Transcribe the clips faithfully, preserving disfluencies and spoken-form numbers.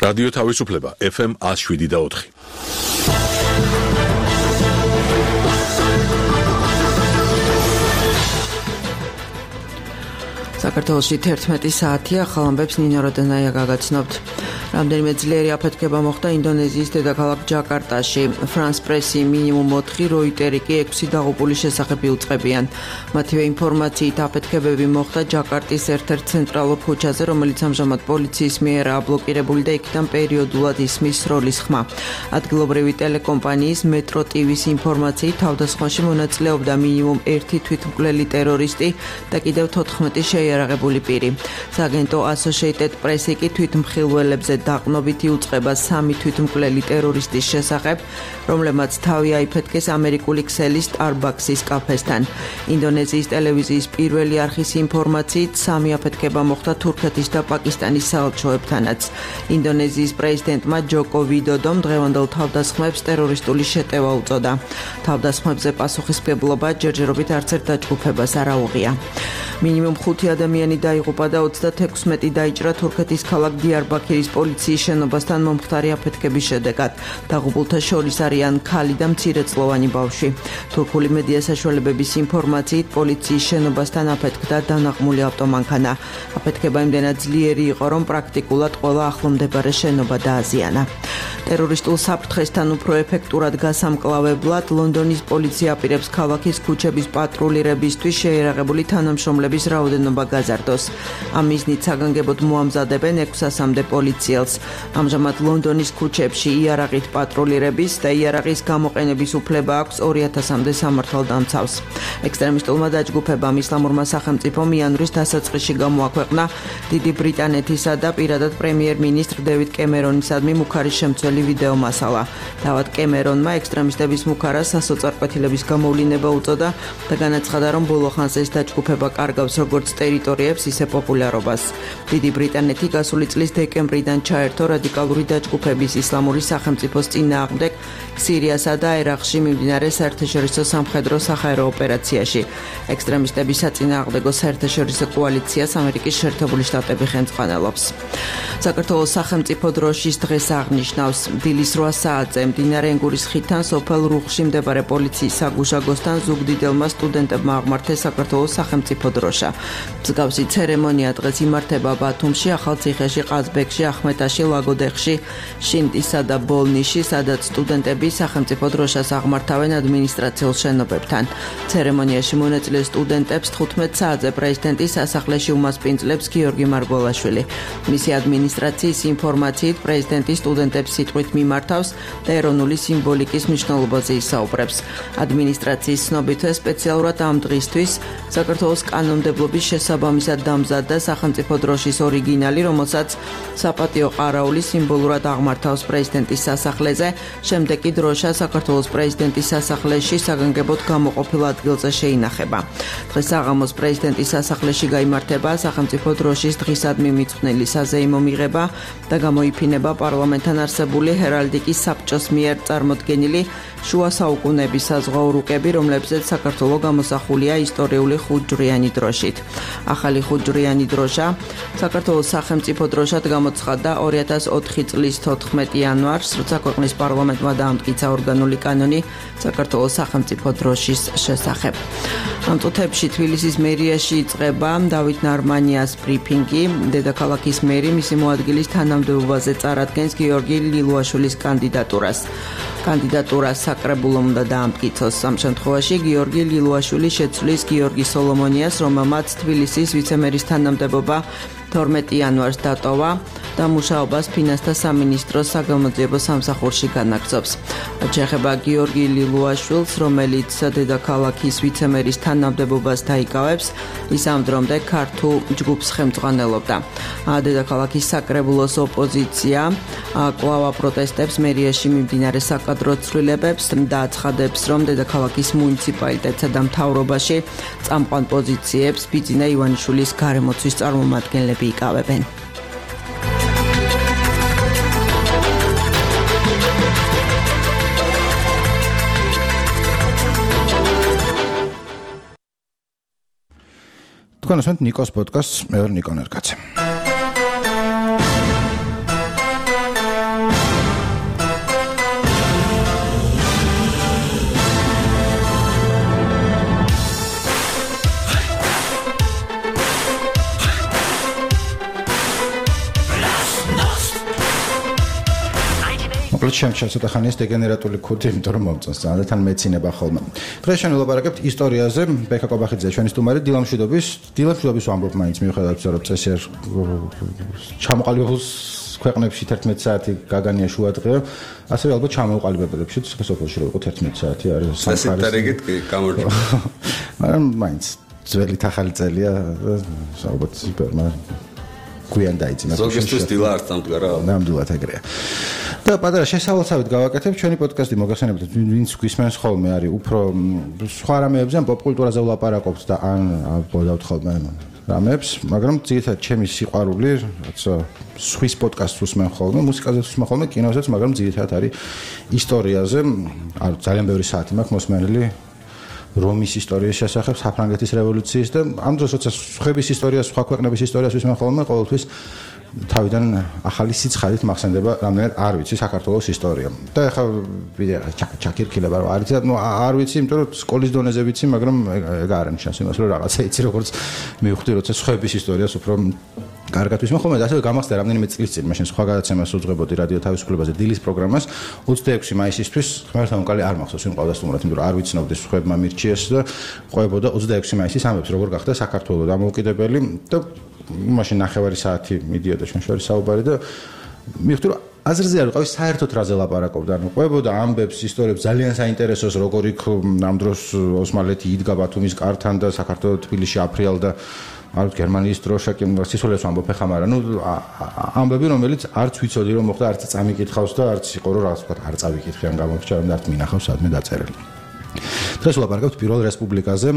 რადიო თავისუფლება ეფ ემ one oh seven და four. საქართველოში თერთმეტი საათია, ახალ ამბებს ნინო როდანაია გაგაცნობთ. რამდენიმე ძლიერი აფეთქება მოხდა ინდონეზიის დედაქალაქ ჯაკარტაში. France Press-ი მინიმუმ ოთხი, Reuters-ი კი ექვსი დაღუპულის შესახებ იუწყებიან. მათივე ინფორმაციით აფეთქებები მოხდა ჯაკარტის ერთ-ერთ ცენტრალურ ქუჩაზე, რომელიც ამჟამად პოლიციის მიერ აბლოკირებული და იქიდან პერიოდულად ისმის სროლის ხმა. ადგილობრივი ტელეკომპანიის Metro ტი ვის ინფორმაციით თავდასხმაში მონაწილეობდა მინიმუმ ერთი თვითმკვლელი ტერორისტი და კიდევ თოთხმეტი შეიარაღებული პირი. სააგენტო Associated Press-ი კი თვითმხილველებზე დაყნობით იუწყება სამი თვითმკვლელი ტერორისტის შესახებ, რომლებმაც თავი აიფეთქეს ამერიკული ქსელის Starbucks-ის კაფესთან. ინდონეზიის ტელევიზიის პირველი არხის ინფორმაციით სამი აფეთქება მოხდა თურქეთის და პაკისტანის საელჩოებთანაც. ინდონეზიის პრეზიდენტმა ჯოკო ვიდოდომ დღევანდელ თავდასხმებს ტერორისტული შეტევა უწოდა. თავდასხმებზე პასუხისმგებლობა ჯერჯერობით არც ერთ დაჯგუფებას არ აუღია. მინიმუმ ხუთი ადამიანი დაიღუპა და ოცდაექვსი დაიჭრა თურქეთის ქალაქ დიარბაქირის პოლიციის შენობასთან მომხდარი აფეთქების შედეგად. დაღუპულთა შორის არიან ქალი და მცირეწლოვანი ბავშვი. თურქული მედია საშუალებების ინფორმაციით პოლიციის შენობასთან აფეთქდა დანაღმული ავტომანქანა. აფეთქება იმდენად ძლიერი იყო, რომ პრაქტიკულად ყველა ახლომდებარე შენობა დააზიანა. ტერორისტულ საფრთხესთან უფრო ეფექტურად გასამკლავებლად ლონდონის პოლიცია აპირებს ქალაქის ქუჩების პატრულირებისთვის შეიარაღებული თანამშრომლების რაოდენობა გაზარდოს. ამ მიზნით საგანგებოდ მოამზადებენ ექვსასამდე პოლიციელს. ამჟამად ლონდონის ქუჩებში იარაღით პატრულირების და იარაღის გამოყენების უფლება აქვს ორი ათასამდე სამართალდამცავს. ექსტრემისტულმა დაჯგუფებამ ისლამურმა სახელმწიფომ იანვრის დასაწყისში გამოაქვეყნა დიდი ბრიტანეთისა და პირადად პრემიერ-მინისტრ დევიდ კემერონისადმი მუქარის შემცველი ვიდეო მასალა. თავად კემერონმა ექსტრემისტების მუქარას სასოწარკვეთილების გამოვლინება უწოდა და განაცხადა, რომ ბოლო ხანს ეს დაჯგუფება კარგავს როგორც ტერიტორიებს, ისე პოპულარობას. დიდი ბრიტანეთი გასული წლის დეკემბრიდან ჩაერთო რადიკალური დაჯგუფების ისლამური სახელმწიფოს წინააღმდეგ სირიასა და ერაყში მიმდინარე საერთაშორისო სამხედრო სახაერო ოპერაციაში. ექსტრემისტების საწინააღმდეგო საერთაშორისო კოალიციას ამერიკის შეერთებული შტატები ხელმძღვანელობს. საქართველოს სახელმწიფო დროშის დღეს აღნიშნავს. დილის რვა საათზე მდინარე ენგურის ხიდთან სოფელ რუხში მდებარე პოლიციის საგუშაგოსთან ზუგდიდელმა სტუდენტებმა აღმართეს საქართველოს სახელმწიფო დროშა. მსგავსი ცერემონია დღეს იმართება ბათუმში, ახალციხეში, ყაზბეგში, ახმეტაში, ლაგოდეხში, შინდისა და ბოლნიში, სადაც სტუდენტები სახელმწიფო დროშას აღმართავენ ადმინისტრაციულ შენობებთან. ცერემონიაში მონაწილე სტუდენტებს თხუთმეტ საათზე პრეზიდენტის სასახლეში უმასპინძლებს გიორგი მარგველაშვილი. მისი ადმინისტრაციის ინფორმაციით პრეზიდენტი სტუდენტებს სიტყვით მიმართავს და ეროვნული სიმბოლიკის მნიშვნელობაზე ისაუბრებს. ადმინისტრაციის ცნობითვე სპეციალურად ამ დღისთვის საქართველოს კანონმდებლობის შესაბამისად დამზადდა სახელმწიფო დროშის ორიგინალი, რომელსაც საპატიო ყარაული სიმბოლურად აღმართავს პრეზიდენტის სასახლეზე, შემდეგ კი დროშა საქართველოს პრეზიდენტის სასახლეში საგანგებოდ გამოყოფილ ადგილზე შეინახება. დღეს საღამოს პრეზიდენტის სასახლეში გაიმართება სახელმწიფო დროშის დღისადმი მიძღვნილი საზეიმო მიღება და გამოიფინება პარლამენტთან არსებული ჰერალდიკის საბჭოს მიერ წარმოდგენილი შუა საუკუნეების საზღვაო რუკები, რომლებზეც საქართველო გამოსახულია ისტორიული ხუთჯვრიანი დროშით. ახალი ხუთჯვრიანი დროშა საქართველოს სახელმწიფო დროშად გამოცხადდა ორი ათას ოთხი წლის თოთხმეტი იანვარს, როცა ქვეყნის პარლამენტმა დაამტკიცა ორგანული კანონი საქართველოს სახელმწიფო დროშის შესახებ. ამ წუთებში თბილისის მერიაში იწყება დავით ნარმანიას ბრიფინგი. დედაქალაქის მერი მისი მოადგილის თანამდებობაზე წარადგენს გიორგი ლილუაშვილის კანდიდატურას. კანდიდატურა საკრებულომ უნდა დაამტკიცოს. ამ შემთხვევაში გიორგი ლილუაშვილი შეცვლის გიორგი სოლომონიას, რომელმაც თბილისის ვიცემერის თანამდებობა თორმეტი იანვარს დატოვა და მუშაობას ფინანსთა სამინისტროს საგამოძიებო სამსახურში განაგრძობს. შეეხება გიორგი ლილუაშვილს, რომელიც დედაქალაქის ვიცემერის თანამდებობას დაიკავებს, ის ამ დრომდე ქართულ ჯგუფს ხელმძღვანელობდა. დედაქალაქის საკრებულოს ოპოზიცია კვლავ აპროტესტებს მერიაში მიმდინარე საკადრო ცვლილებებს და აცხადებს, რომ დედაქალაქის მუნიციპალიტეტსა და მთავრობაში წამყვან პოზიციებს ბიძინა ივანიშვილის გარემოცვის წარმომადგენლები იკავებენ. თქვენ ასმენთ ნიკოს პოდკასტს, მე ვარ ნიკო ნერკაცე. ჩემ ცოტა ხანია დეგენერატული ქუდი, იმიტომ რომ მომწონს ძალიან და თან მეცინება ხოლმე. დღეს ჩვენ ვილაპარაკებთ ისტორიაზე. ბექა კობახიძე ჩვენი სტუმარი, დილამშვიდობის, დილამშვიდობის ვამბობ მაინც მიუხედავად იმისა, რომ წესიერ ჩამოყალიბებულს ქვეყნებში თერთმეტი საათი გაგანია შუადღე, ასევე ალბათ ჩამოყალიბებებში სოფელში რო იყო თერთმეტი საათი არის სამხარეს. ეს ინტერეგით გამორჩა. მაგრამ მაინც ძველი ახალი წელია, ალბათ სუპერმა გვიან დაიძინა. ზოგისთვის დილა არ დამდგარა. ნამდვილად ეგრეა. და პატარა შესავალსავით გავაკეთებ ჩვენი პოდკასტი მოგახსენებთ, ვინც გვისმენს ხოლმე არის უფრო სხვა რამეებზე, ან პოპკულტურაზე ვლაპარაკობთ და ან აბოდავთ ხოლმე რამებს, მაგრამ ძირითადად ჩემი სიყვარული, რაც სვის პოდკასტს უსმენ ხოლმე, მუსიკაზეც უსმენ ხოლმე, კინოზეც, მაგრამ ძირითადად არის ისტორიაზე, არ ძალიან ბევრი საათი მაქვს მოსმენელი რომის ისტორიის შესახებ, საფრანგეთის რევოლუციის და ამ დროს როცა სხვების ისტორიას, სხვა ქვეყნების ისტორიას ვისმენ ხოლმე, ყოველთვის თავიდან ახალი სიცხადით მახსენდება რამდენად არ ვიცი საქართველოს ისტორია. და ეხლა ვიდეო ჩაკირკილება რომ არ ვიცი, ნუ არ ვიცი, იმიტომ რომ სკოლის დონეზე ვიცი, მაგრამ ეგ არ ნიშნავს იმას, რომ რაღაცა იცი, როგორც მივხვდი, როცა სხვების ისტორიას უფრო კარგად ვისმენ ხოლმე და ასევე გამახსენდა რამდენიმე წლის წინ, მაშინ სხვა გადაცემას უძღვებოდი რადიო თავისუფლებაზე დილის პროგრამას ოცდაექვსი მაისისთვის, ღმერთთან უკალი არ მახსოვს ვინ ყავდა სტუმრად, იმიტომ რომ არ ვიცნობდი სხვებმა მირჩიეს და ყვებოდა ოცდაექვსი მაისის ამბებს, როგორ გახდა საქართველოს დამოუკიდებელი და მაშინ ნახევარი საათი მიდიოდა ჩვენ შორის საუბარი და მივხვდი რომ აზრზე არ ვიყავი საერთოდ რაზე ლაპარაკობდა, ანუ ყვებოდა ამბებს, ისტორიებს ძალიან საინტერესოს, როგორ იქ ამ დროს ოსმალეთი იდგა ბათუმის კართან და საქართველოს თბილისში აფრიალდა არ ვიცი გერმანიის დროშა კი სიცოცხლეს ვამბობ ხა, მაგრამ ნუ ამბები რომელიც არც ვიცოდი რომ მოხდა, არც წამიკითხავს და არც იყო რომ რაღაც ვთქვათ არ წავიკითხე ან გამორჩა რომ არც მინახავს სადმე დაწერილი. დღეს ვლაპარაკობთ პირველ რესპუბლიკაზე,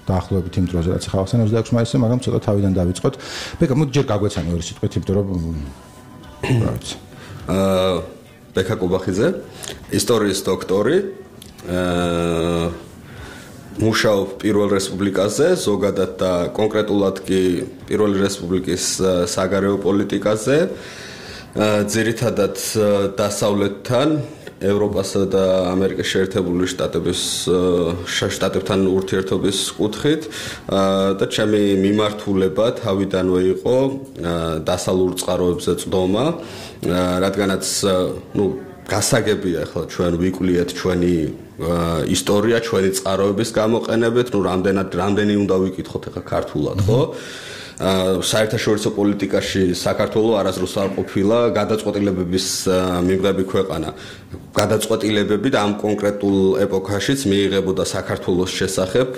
დაახლოებით იმ დროზე რაც ხავსენ ოცდაექვსი მაისზე, მაგრამ ცოტა თავიდან დავიწყოთ. ბეკა, მოდი ჯერ გაგვეცანი ორი სიტყვით, იმიტომ რომ რა ვიცი. აა ბეკა კობახიძე, ისტორიის დოქტორი, აა მუშაობ პირველ რესპუბლიკაზე, ზოგადად და კონკრეტულად კი პირველი რესპუბლიკის საგარეო პოლიტიკაზე, ძირითადად დასავლეთთან, ევროპასა და ამერიკის შეერთებული შტატების შტატებთან ურთიერთობის კუთხით და ჩემი მიმართულება თავიდანვე იყო დასავლურ წყაროებზე წვდომა, რადგანაც ნუ გასაგებია ახლა ჩვენ ვიკვლიეთ ჩვენი ისტორია, ჩვენი წყაროების გამოყენებით, ნუ რამდენად რამდენი უნდა ვიკითხოთ ახლა ქართულად, ხო? საერთაშორისო პოლიტიკაში საქართველოს არასდროს არ ყოფილა გადაწყვეტილებების მიღები ქვეყანა. გადაწყვეტილებები და ამ კონკრეტულ ეპოქაშიც მიიღებოდა საქართველოს შესახებ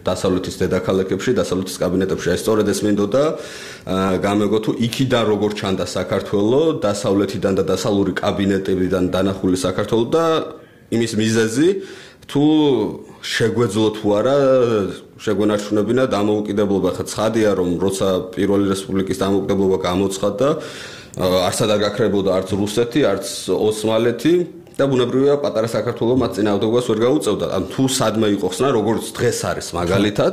დასავლეთის დედაქალაქებში, დასავლეთის კაბინეტებში. აი სწორედ ეს მინდოდა გამეგო თუ იქიდან როგორ ჩანდა საქართველოს, დასავლეთიდან და დასავლური კაბინეტებიდან დანახული საქართველოს და იმის მიზეზი თუ შეგვეძლო თუ არა შეგვენარჩუნებინა დამოუკიდებლობა. ხა ცხადია რომ როცა პირველი რესპუბლიკის დამოუკიდებლობა გამოცხადდა, არც არ გაქრებოდა არც რუსეთი, არც ოსმალეთი და ბუნებრივია პატარა საქართველოს მათ წინააღმდეგობას ვერ გაუწევდა. ან თუ სადმე იყო ხსნა, როგორც დღეს არის მაგალითად,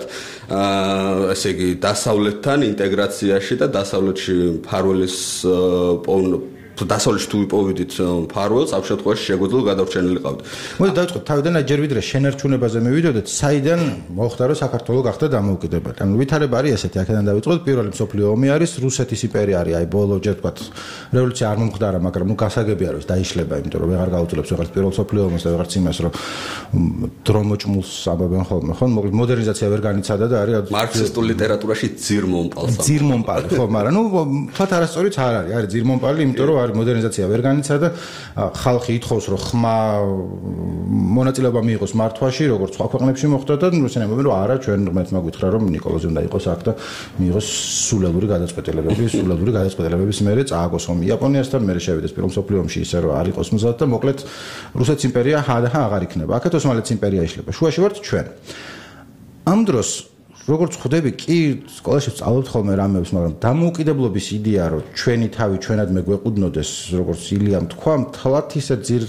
აა ესე იგი დასავლეთთან ინტეგრაციაში და დასავლეთში ფარველის დასავლეთში თუ ვიპოვიდით ფარველს, ამ შემთხვევაში შეგვეძლო გადარჩენილი ყავთ. მოდი დავიწყოთ თავიდან, ჯერ ვიდრე შენარჩუნებაზე მივიდოდეთ, საიდან მოხდა რომ საქართველოს გახდა დამოუკიდებელი. ანუ ვითარება არის ესეთი, აქედან დავიწყოთ, პირველი მსოფლიო ომი არის, რუსეთის იმპერია არის, აი ბოლო ჯერ ვთქვათ, რევოლუცია არ მომხდარა, მაგრამ ნუ გასაგებია რომ დაიშლება, იმიტომ რომ ვეღარ გაუძლებს ვეღარც პირველ მსოფლიო ომს და ვეღარც იმას, რომ დრომოჭმულს ამბობენ ხოლმე, ხო? მოდერნიზაცია ვერ განიცადა და არის მარქსისტულ ლიტერატურაში ძირმომპალს. ძირმომპალი, ხო, მაგრამ ნუ თქვათ არასწორიც არ არის, არის ძირმომპალი, იმიტომ რომ მოდერნიზაცია ვერ განიცადა, ხალხი ითხოვს რომ ხმა მონაწილეობა მიიღოს მართვაში, როგორც სხვა ქვეყნებში მოხდა და რუსები ამბობენ რომ არა, ჩვენ ღმერთმა გითხრა რომ ნიკოლოზი უნდა იყოს აქ და მიიღოს სულელური გადაწყვეტილებები, სულელური გადაწყვეტილებების მერე წააგოს ომი იაპონიასთან, მერე შევიდეს პირველ მსოფლიო ომში ისე რომ არ იყოს მზად და მოკლედ რუსეთის იმპერია ჰა-ჰა აღარ იქნება. აქეთ ოსმალეთის იმპერია იშლება. შუაში ვართ ჩვენ. ამ დროს როგორც ხვდები, კი სკოლაში ვსწავლობთ ხოლმე რამებს, მაგრამ დამოუკიდებლობის იდეა, რომ ჩვენი თავი ჩვენადმე გვეყუდნოდეს, როგორც ილიამ თქვა, მთლად ისე ძირ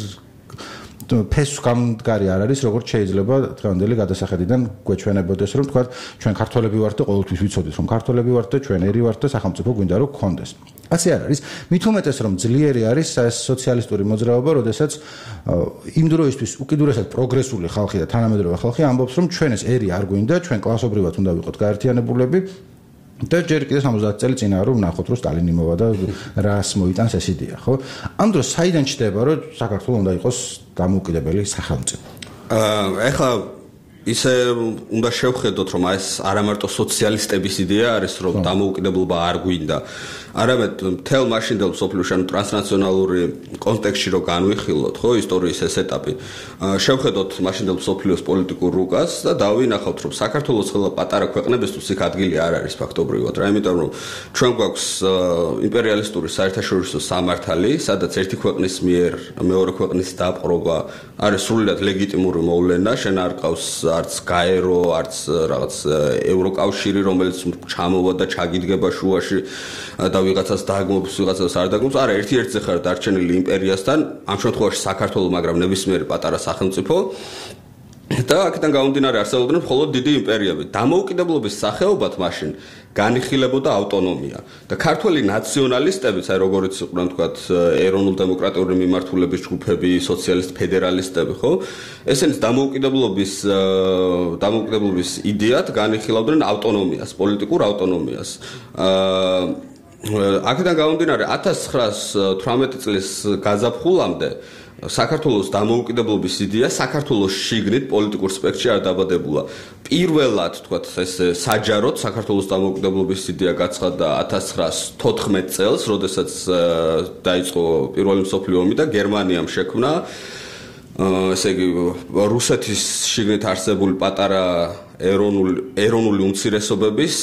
ფესვ გამდგარი არ არის, როგორც შეიძლება დღევანდელი გადასახედიდან გვეჩვენებოდეს, რომ თქვა, ჩვენ ქართველები ვართ და ყოველთვის ვიცოდით, რომ ქართველები ვართ და ჩვენ ერი ვართ და სახელმწიფო გვინდა რომ გქონდეს. ასე არ არის. მით უმეტეს რომ ძლიერი არის სოციალისტური მოძრაობა, როდესაც იმ დროისთვის უკიდურესად პროგრესული ხალხი და თანამედროვე ხალხი ამბობს, რომ ჩვენ ეს ერი არ გვინდა, ჩვენ კლასობრივად უნდა ვიყოთ გაერთიანებულები და ჯერ კიდევ სამოცდაათი წელი წინა რომ ვნახოთ რომ სტალინი მოვა და რას მოიტანს ეს იდეა, ხო? ამ დროს საიდან ჩდება რომ საქართველოს უნდა იყოს დამოუკიდებელი სახელმწიფო? აა ეხლა ისე უნდა შევხედოთ რომ ეს არა მარტო სოციალისტების იდეა არის რომ დამოუკიდებლობა არ გვინდა არამედ მთელ მაშინდელ სოფლიოში ანუ ტრანსნაციონალური კონტექსტში რო განვიხილოთ ხო ისტორიის ეს ეტაპი შევხედოთ მაშინდელ სოფლიოს პოლიტიკურ რუკას და დავინახავთ რომ საქართველოს ყველა პატარა ქვეყნებისთვის იქ ადგილი არ არის ფაქტობრივად რა იმიტომ რომ ჩვენ გვაქვს იმპერიალისტური საერთაშორისო სამართალი სადაც ერთი ქვეყნის მიერ მეორე ქვეყნის დაპყრობა არის სრულიად ლეგიტიმური მოვლენა შენ არ ყავს არც გაერო არც რაღაც ევროკავშირი რომელიც ჩამოვა და ჩაგიდგება შუაში და ვიღაცას დაგმობს ვიღაცას არ დაგმობს არა ერთ-ერთზე ხარ დარჩენილი იმპერიასთან ამ შემთხვევაში საქართველოს მაგრამ ნებისმიერი პატარა სახელმწიფო და აქედან გამომდინარე არსებობდნენ მხოლოდ დიდი იმპერიები დამოუკიდებლობის სახეობად მაშინ განიხილებოდა ავტონომია და ქართველი ნაციონალისტებიც აი როგორიც იყვნენ თქვათ ეროვნულ-დემოკრატიული მიმართულების ჯგუფები სოციალისტ ფედერალისტები ხო ესენიც დამოუკიდებლობის დამოუკიდებლობის იდეად განიხილავდნენ ავტონომიას პოლიტიკურ ავტონომიას აქედან გამომდინარე ათას ცხრაას თვრამეტი წლის გაზაფხულამდე საქართველოს დამოუკიდებლობის იდეა საქართველოს შიგნით პოლიტიკურ სპექტრში არ დაბადებულა. პირველად, თქვათ, ეს საჯაროდ საქართველოს დამოუკიდებლობის იდეა გაცხადდა ათას ცხრაას თოთხმეტ წელს, როდესაც დაიწყო პირველი მსოფლიო ომი და გერმანიამ შექმნა ესე იგი რუსეთის შიგნით არსებული პატარა ეროვნული ეროვნული უმცირესობების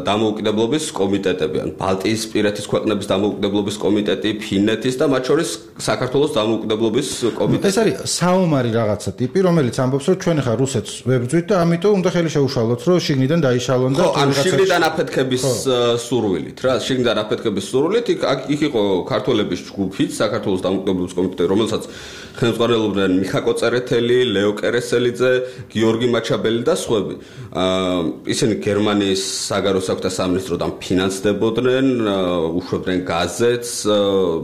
დამოუკიდებლობის კომიტეტები, ან ბალტიის პირეთის ქვეყნების დამოუკიდებლობის კომიტეტი, ფინეთის და მათ შორის საქართველოს დამოუკიდებლობის კომიტეტი. ეს არის საომარი რაღაცა ტიპი, რომელიც ამბობს, რომ ჩვენ ხა რუსეთს ვებრძვით და ამიტომ უნდა ხელი შეუშალოთ, რომ შიგნიდან დაიშალონ და ან შიგნიდან აფეთქების სურვილით, რა, შიგნიდან აფეთქების სურვილით, იქ იყო ქართველების ჯგუფიც, საქართველოს დამოუკიდებლობის კომიტეტი, რომელსაც ხელმძღვანელობდნენ მიხაკო წერეთელი, ლეო კერესელიძე, გიორგი მაჩაბელი და სხვები. ისინი გერმანიის საგარეო საქმეთა სამინისტროდან ფინანსდებოდნენ, უშვებდნენ გაზეთს,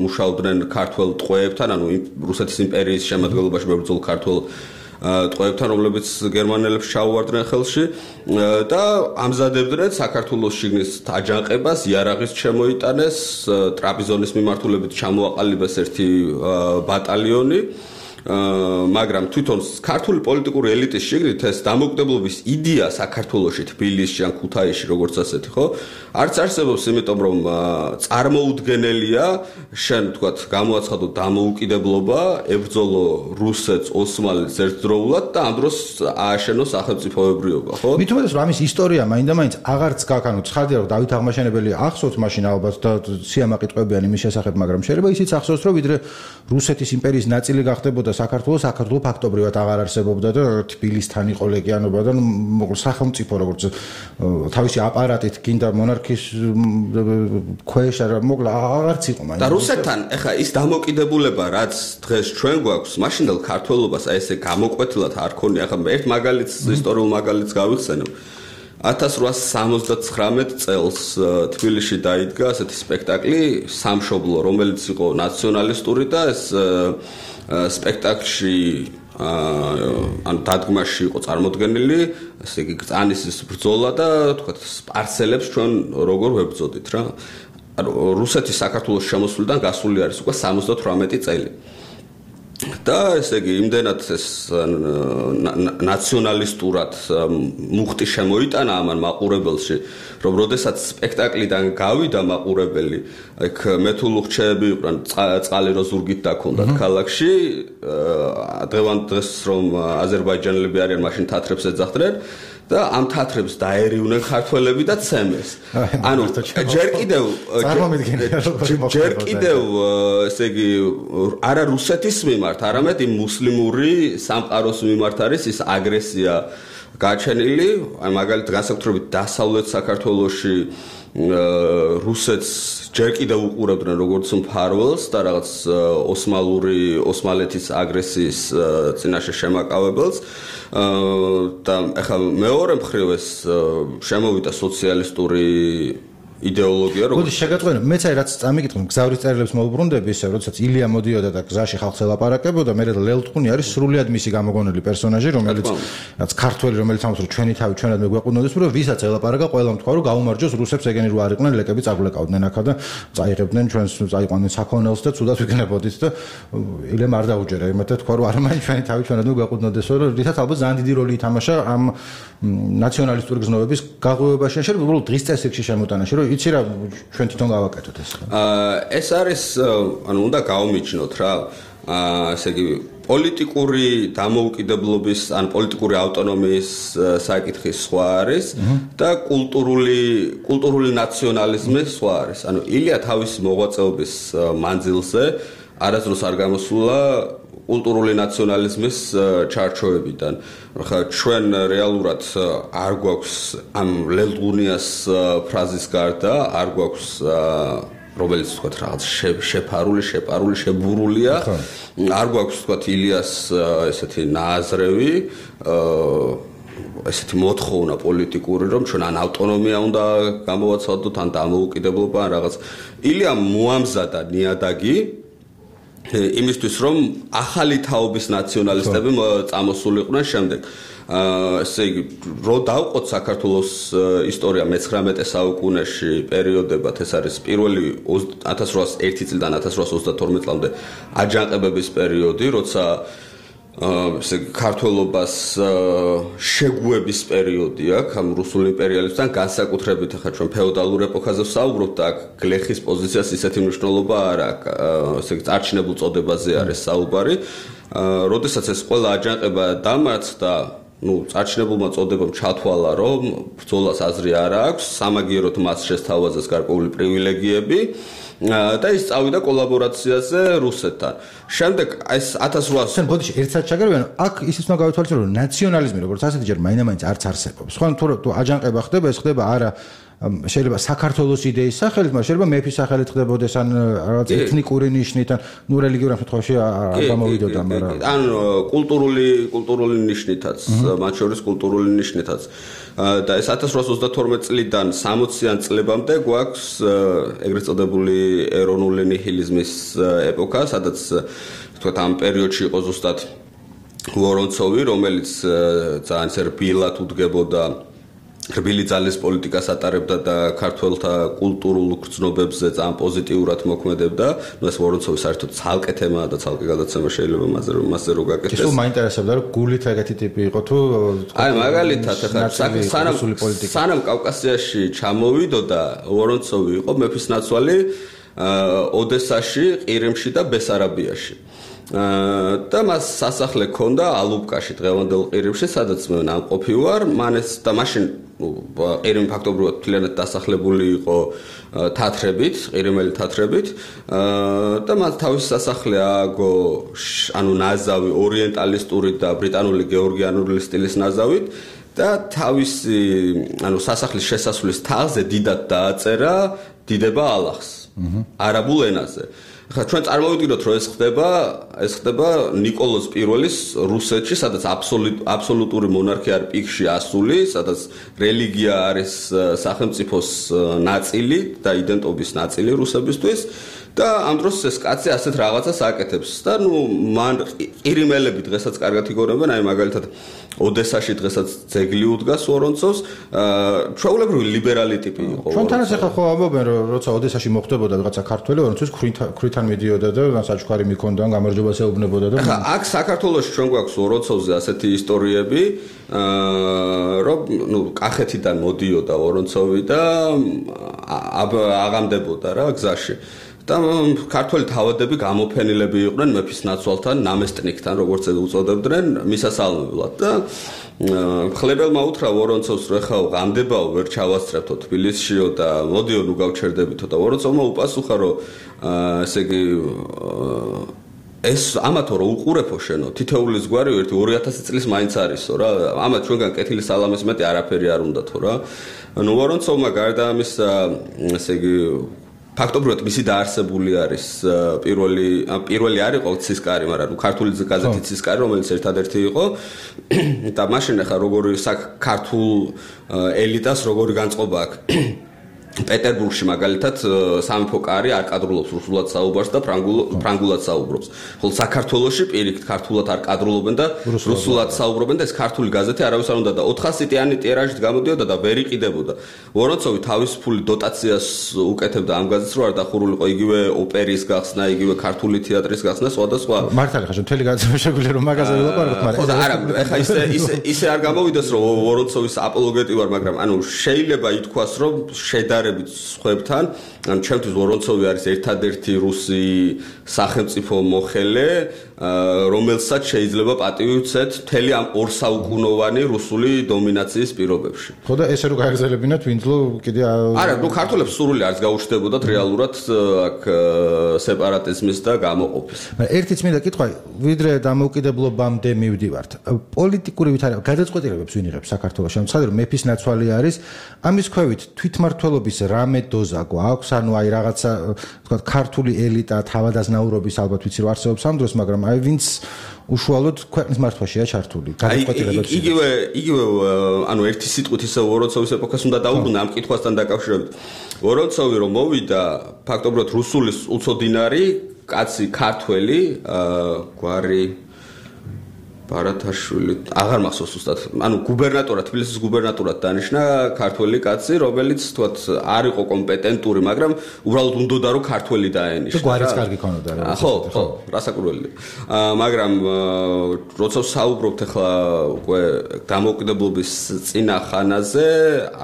მუშაობდნენ ქართველ ტყვეებთან, ანუ რუსეთის იმპერიის შემადგენლობაში მებრძოლ ქართველ ტყვეებთან, რომლებიც გერმანელებს ჩაუვარდნენ ხელში და ამზადებდნენ საქართველოს შიგნის აჯანყებას, იარაღის შემოიტანეს, ტრაპიზონის მიმართულებით ჩამოაყალიბეს ერთი ბატალიონი მაგრამ თვითონ ქართული პოლიტიკური ელიტის შიგნით ეს დამოუკიდებლობის იდეა საქართველოში, თბილისში ან ქუთაისში როგორც ასეთი, ხო? არც არსებობს, იმიტომ რომ წარმოუდგენელია, შენ თქვათ, გამოაცხადო დამოუკიდებლობა, ებრძოლო რუსეთს, ოსმალეთს ერთდროულად და ამ დროს ააშენო სახელმწიფოებრიობა, ხო? მით უმეტეს რომ ამის ისტორია მაინდა-მაინც აღარც გაქანო, ცხადია რომ დავით აღმაშენებელი ახსოვს მაშინ ალბათ და სიამაყი ტყვებიან იმის შესახებ, მაგრამ შეიძლება ისიც ახსოვს, რომ ვიდრე რუსეთის იმპერიის ნაწილი გახდებოდა საქართველოს საქართველოს ფაქტობრივად აღარ არსებობდა და თბილისთან იყო ლეგიანობა და მოკლედ სახელმწიფო როგორც თავისი აპარატით გინდა მონარქიის ქვეშ არა მოკლედ აღარც იყო მაინც და რუსეთთან ეხა ის დამოკიდებულება რაც დღეს ჩვენ გვაქვს მაშინდელ ქართველობას აი ესე გამოკვეთილად არ ქონია ეხა ერთ მაგალითს ისტორიულ მაგალითს გავიხსენებ ათას რვაასი სამოცდათხრამეტ წელს თბილისში დაიდგა ასეთი სპექტაკლი სამშობლო რომელიც იყო ნაციონალისტური და ეს სპექტაკლში ან დადგმაში იყო წარმოდგენილი ესე იგი გწანისის ბრძოლა და თქვათ სპარსელებს ჩვენ როგორ ვებრძოდით რა ანუ რუსეთის საქართველოს შემოსვლიდან გასული არის უკვე სამოცდათვრამეტი წელი და ესე იგი იმდენად ეს ნაციონალისტურად მუხტი შემოიტანა ამან მაყურებელში რომ როდესაც სპექტაკლიდან გავიდა მაყურებელი აქ მეთულუხჩეები იყვნენ წყალი რო ზურგით დაქონდათ ქალაქში დღევანდ დღეს რომ აზერბაიჯანელები არიან მაშინ თათრებს ეძახდნენ და ამ თათრებს დაერივნენ ქართველები და ცემეს. ანუ ჯერ კიდევ ჯერ კიდევ ესე იგი არა რუსეთის მიმართ, არამედ იმ მუსლიმური სამყაროს მიმართ არის ის აგრესია გაჩენილი, აი მაგალითად განსაკუთრებით დასავლეთ საქართველოში რუსეთს ჯერ კიდევ უყურებდნენ როგორც მფარველს და რაღაც ოსმალური ოსმალეთის აგრესიის წინაშე შემაკავებელს და ახლა მეორე მხრივ ეს შემოვიდა სოციალისტური იდეოლოგია როგორ შეგაწყვეტა მეც აი რაც წამიკითხე გზავრის წერილებს მოუბრუნდები ისე როდესაც ილია მოდიოდა და გზაში ხალხს ელაპარაკებოდა მე ლელტყუნი არის სრულიად მისი გამოგონილი პერსონაჟი რომელიც რაც ქართველი რომელიც ამბობს რომ ჩვენი თავი ჩვენად მეგვეყუნოდეს რომ ვისაც ელაპარაკა ყველამ თქვა რომ გაუმარჯოს რუსებს ეგენი რო არ იყვნენ ლეკები წაგვლეკავდნენ ახლა და წაიღებდნენ ჩვენს წაიყვანდნენ საქონელს და ცუდად ვიქნებოდით და ილემ არ დაუჯერა იმათად თქვა რომ არ მაინც ჩვენი თავი ჩვენად მეგვეყუნოდესო რომ რითაც ალბათ ძალიან დიდი როლი ითამაშა ამ ნაციონალისტური გზნობების გაღვივებაში შეიძლება უბრალოდ დღის წესრიგში შემოტანაში რომ იცი რა ჩვენ თვითონ გავაკეთოთ ეს. აა ეს არის ანუ უნდა გავმიჩნოთ რა. აა ესე იგი პოლიტიკური დამოუკიდებლობის ან პოლიტიკური ავტონომიის საკითხი სხვა არის და კულტურული კულტურული ნაციონალიზმი სხვა არის. ანუ ილია თავის მოღვაწეობის მანძილზე არასდროს არ გამოსულა კულტურული ნაციონალიზმის ჩარჩოებიდან. ხა ჩვენ რეალურად არ გვაქვს ამ ლელდღუნიას ფრაზის გარდა არ გვაქვს რომელიც თქვა რაღაც შეფარული, შეპარული, შებურულია. არ გვაქვს თქვა ილიას ესეთი ნააზრევი ესეთი მოთხოვნა პოლიტიკური რომ ჩვენ ან ავტონომია უნდა გამოვაცვალოთ ან დამოუკიდებლობა ან რაღაც. ილია მოამზადა ნიადაგი იმისთვის რომ ახალი თაობის ნაციონალისტები წამოსულიყვნენ შემდეგ. აა ესე იგი რო დავყოთ საქართველოს ისტორია მეცხრამეტე საუკუნეში პერიოდებად ეს არის პირველი ათას რვაას ერთი წლიდან ათას რვაას ოცდათორმეტ წლამდე აჯანყებების პერიოდი, როცა ესე იგი ქართველობას შეგუების პერიოდი აქვს ამ რუსულ იმპერიალებთან განსაკუთრებით ახლა ჩვენ ფეოდალურ ეპოქაზე ვსაუბრობთ და აქ გლეხის პოზიციას ისეთი მნიშვნელობა არ აქვს ესე იგი წარჩინებულ წოდებაზე არის საუბარი. როდესაც ეს ყველა აჯანყება დამარცხდა ну წარჩინებულმა წოდებამ ჩათვალა რომ ბრძოლას აზრი არ აქვს სამაგიეროდ მას შესთავაზეს გარკვეული პრივილეგიები და ის წავიდა კოლაბორაციაზე რუსეთთან. შემდეგ ეს ათას რვაას შენ ბოდიში ერთსაც ჩაგერვენ აქ ისიც უნდა გავითვალისწინო რომ ნაციონალიზმი როგორც ასეთი ჯერ მაინდა-მაინც არც არსებობს. ხო თუ აჯანყება ხდება ეს ხდება არა შეიძლება საქართველოს იდეის სახელით, მაგრამ შეიძლება მეფის სახელით ხდებოდეს ან რაღაც ეთნიკური ნიშნით ან ნუ რელიგიურ შემთხვევაში არ გამოვიდოდა, მაგრამ ან კულტურული კულტურული ნიშნითაც, მათ შორის კულტურული ნიშნითაც. და ეს ათას რვაას ოცდათორმეტ წლიდან სამოციან წლებამდე გვაქვს ეგრეთ წოდებული ეროვნული ნიჰილიზმის ეპოქა, სადაც თქვათ ამ პერიოდში იყო ზუსტად ვორონცოვი, რომელიც ძალიან რბილად უდგებოდა რბილი ძალის პოლიტიკას ატარებდა და ქართველთა კულტურულ გრძნობებზე ძალიან პოზიტიურად მოქმედებდა. ნუ ეს ვორონცოვის საერთოდ ცალკე თემაა და ცალკე გადაცემა შეიძლება მასზე რომ მასზე რო გაკეთდეს. ისო მაინტერესებდა რომ გულით ეგეთი ტიპი იყო თუ აი მაგალითად ახლა სანამ სანამ კავკასიაში ჩამოვიდოდა ვორონცოვი იყო მეფის ნაცვალი ოდესაში, ყირიმში და ბესარაბიაში. და მას სასახლე ჰქონდა ალუბკაში დღევანდელ ყირიმში, სადაც მე ნამყოფი ვარ. მან ეს და მაშინ ყირიმი ფაქტობრივად მთლიანად დასახლებული იყო თათრებით, ყირიმელი თათრებით და მას თავისი სასახლე ააგო ანუ ნაზავი ორიენტალისტური და ბრიტანული გეორგიანული სტილის ნაზავით და თავისი ანუ სასახლის შესასვლელის თაღზე დიდად დააწერა დიდება ალახს არაბულ ენაზე. ხა ჩვენ წარმოვიდგინოთ რომ ეს ხდება ეს ხდება ნიკოლოზ პირველის რუსეთში, სადაც აბსოლუტური მონარქია არის პიკში ასული, სადაც რელიგია არის სახელმწიფოს ნაწილი და იდენტობის ნაწილი რუსებისთვის და ამ დროს ეს კაცი ასეთ რაღაცას აკეთებს და ნუ მან ყირიმელები დღესაც კარგად იგონებენ, აი მაგალითად ოდესაში დღესაც ძეგლი უდგას ვორონცოვს, ჩვეულებრივი ლიბერალი ტიპი იყო. ჩვენთანაც ახლა ხო ამბობენ რომ როცა ოდესაში მოხდებოდა რაღაცა ქართველი ვორონცოვის ქრითან მიდიოდა და საჩუქარი მიქონდა, გამარჯვებას ეუბნებოდა და ხა აქ საქართველოში ჩვენ გვაქვს ვორონცოვზე ასეთი ისტორიები, რომ ნუ კახეთიდან მოდიოდა ვორონცოვი და აღამდებოდა რა გზაში. და ქართველი თავადები გამოფენილები იყვნენ მეფის ნაცვალთან, ნამესტნიკთან, როგორც უწოდებდნენ, მისასალმებლად და ხლებელმა უთხრა ვორონცოვს რომ ხა ღამდებაო ვერ ჩავასწრებთო თბილისშიო და მოდიო ნუ გავჩერდებითო და ვორონცოვმა უპასუხა რომ ესე იგი ეს ამათო რომ უყურებო შენო თითოეული ზღვარი ერთი ორი ათასი წლის მაინც არისო რა ამათ ჩვენგან კეთილი სალამის მეტი არაფერი არ უნდათო რა ნუ ვორონცოვმა გარდა ამისა ესე იგი ფაქტობრივად მისი დაარსებული არის პირველი პირველი არ იყო ცისკარი, მაგრამ ნუ ქართული გაზეთი ცისკარი, რომელიც ერთადერთი იყო და მაშინ ახლა როგორი ქართულ ელიტას როგორი განწყობა აქვს პეტერბურგში მაგალითად სამეფო კარი არ კადრულობს რუსულად საუბარს და ფრანგულად საუბრობს. ხოლო საქართველოში პირიქით ქართულად არ კადრულობენ და რუსულად საუბრობენ და ეს ქართული გაზეთი არავის არ უნდა და ოთხასიტიანი ტირაჟით გამოდიოდა და ვერ იყიდებოდა. ვორონცოვი თავისუფული დოტაციას უკეთებდა ამ გაზეთს, რომ არ დახურულიყო იგივე ოპერის გახსნა, იგივე ქართული თეატრის გახსნა, სხვადასხვა. მართალი ხარ, მთელი გაზეთი შეგვიძლია რომ მაგაზე ვილაპარაკოთ, მაგრამ არა, ეხა ისე ისე ისე არ გამოვიდეს რომ ვორონცოვის აპოლოგეტი ვარ, მაგრამ ანუ შეიძლება ითქვას რომ შედარებით სხვებთან, ან ჩემთვის ვორონცოვი არის ერთადერთი რუსი სახელმწიფო მოხელე, რომელსაც შეიძლება პატივი უცეთ მთელი ამ ორსაუკუნოვანი რუსული დომინაციის პირობებში. ხო და ესე რომ გაეგზელებინათ ვინძლო კიდე არა, ნუ ქართველებს სურვილი არც გაუჩნდებოდათ რეალურად აქ სეპარატიზმის და გამოყოფის. მაგრამ ერთი წმინდა კითხვა, ვიდრე დამოუკიდებლობამდე მივდივართ. პოლიტიკური ვითარება გადაწყვეტილებებს ვინ იღებს საქართველოში? ამ ცხადია რომ მეფის ნაცვალი არის, ამის ქვევით თვითმმართველობის რამე დოზა გვაქვს, ანუ აი რაღაცა თქვა ქართული ელიტა თავადაზნაურობის ალბათ ვიცი რომ არსებობს ამ დროს, მაგრამ აი ვინც უშუალოდ ქვეყნის მართვაშია ჩართული გადაწყვეტილებებს იგივე იგივე ანუ ერთი სიტყვით ისე ვორონცოვის ეპოქას უნდა დაუბრუნდა ამ კითხვასთან დაკავშირებით. ვორონცოვი რომ მოვიდა ფაქტობრივად რუსული უცოდინარი კაცი ქართველი გვარი ბარათაშვილი აღარ მახსოვს უბრალოდ ანუ გუბერნატორად თბილისის გუბერნატორად დანიშნა ქართველი კაცი რომელიც თქვათ არ იყო კომპეტენტური მაგრამ უბრალოდ უნდოდა რომ ქართველი დაენიშნა გვარიც კარგი ქონოდა რა ხო ხო რასაკურველია მაგრამ როცა საუბრობთ ახლა უკვე დამოუკიდებლობის წინა ხანაზე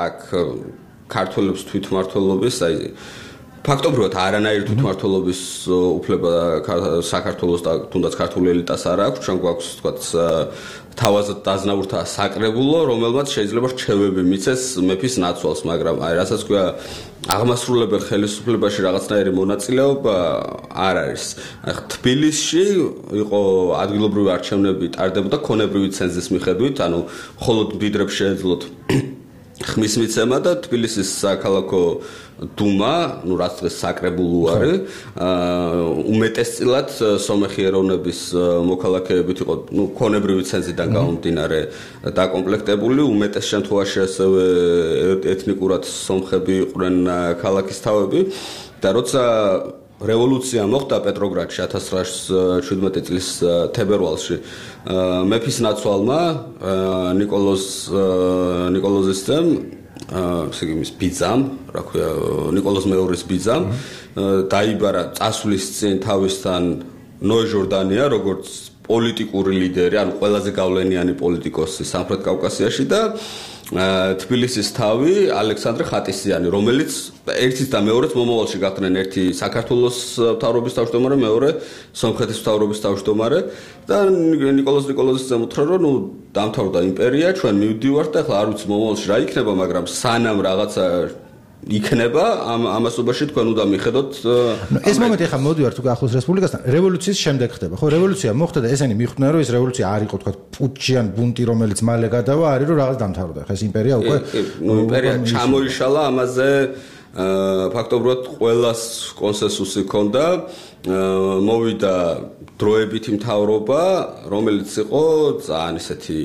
აქ ქართველებს თვითმმართველობის აი ფაქტობრივად არანაირი თვითმმართველობის უფლება საქართველოს და თუნდაც ქართული ელიტას არ აქვს, ჩვენ გვაქვს თქვათ თავაზად დაზნაურთა საკრებულო, რომელმაც შეიძლება რჩევები მიცეს მეფის ნაცვალს, მაგრამ აი რასაც ქვია აღმასრულებელ ხელისუფლებაში რაღაცნაირი მონაწილეობა არ არის. აი თბილისში იყო ადგილობრივი არჩევნები ტარდებოდა ქონებრივი ცენზის მიხედვით, ანუ მხოლოდ მდიდრებს შეეძლოთ ხმის მიცემა და თბილისის საქალაქო დუმა, ну რაც დღეს საკრებულო არის, უმეტესწილად სომეხი ეროვნების მოქალაქეებით იყო, ну ქონებრივი ცენზიდან გამომდინარე დაკომპლექტებული, უმეტეს შემთხვევაში ასევე ეთნიკურად სომხები იყვნენ ქალაქის თავები და როცა რევოლუცია მოხდა პეტროგრადში ათას ცხრაას შვიდმეტი წლის თებერვალში მეფის ნაცვალმა ნიკოლოზ ნიკოლოზისძემ ესე იგი მის ბიძამ, რა ქვია, ნიკოლოზ მეორის ბიძამ დაიბარა წასვლის წინ თავისთან ნოე ჟორდანია, როგორც პოლიტიკური ლიდერი, ანუ ყველაზე გავლენიანი პოლიტიკოსი სამხრეთ კავკასიაში და თბილისის თავი ალექსანდრე ხატისიანი, რომელიც ერთის და მეორეც მომავალში გახდნენ ერთი საქართველოს მთავრობის თავმჯდომარე, მეორე სომხეთის მთავრობის თავმჯდომარე და ნიკოლოზ ნიკოლოზისძემ უთხრა, რომ ნუ დამთავრდა იმპერია, ჩვენ მივდივართ და ახლა არ ვიცი მომავალში რა იქნება, მაგრამ სანამ რაღაცა იქნება ამ ამასობაში თქვენ უნდა მიხედოთ ეს მომენტი ახლა მოდივართ უკვე ახლოს რესპუბლიკასთან რევოლუციის შემდეგ ხდება ხო რევოლუცია მოხდა და ესენი მიხვდნენ რომ ეს რევოლუცია არ იყო თქვა პუჩიან ბუნტი რომელიც მალე გადავა არის რომ რაღაც დამთავრდა ხა ეს იმპერია უკვე ნუ იმპერია ჩამოიშალა ამაზე ფაქტობრივად ყველას კონსენსუსი ჰქონდა მოვიდა დროებითი მთავრობა რომელიც იყო ძალიან ისეთი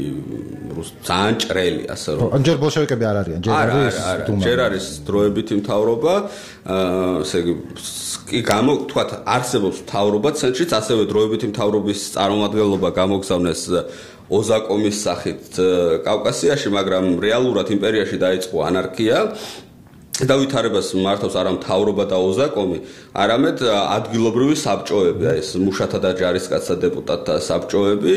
ძალიან ჭრელი ასე რომ ან ჯერ ბოლშევიკები არ არიან ჯერ არის დუმა ჯერ არის დროებითი მთავრობა ესე იგი გამო თქვათ არსებობს მთავრობა ცენტრშიც ასევე დროებითი მთავრობის წარმომადგენლობა გამოგზავნეს ოზაკომის სახით კავკასიაში მაგრამ რეალურად იმპერიაში დაიწყო ანარქია და ვითარებას მართავს არა მთავრობა და ოზაკომი, არამედ ადგილობრივი საბჭოები, აი ეს მუშათა და ჯარისკაცთა დეპუტატთა საბჭოები,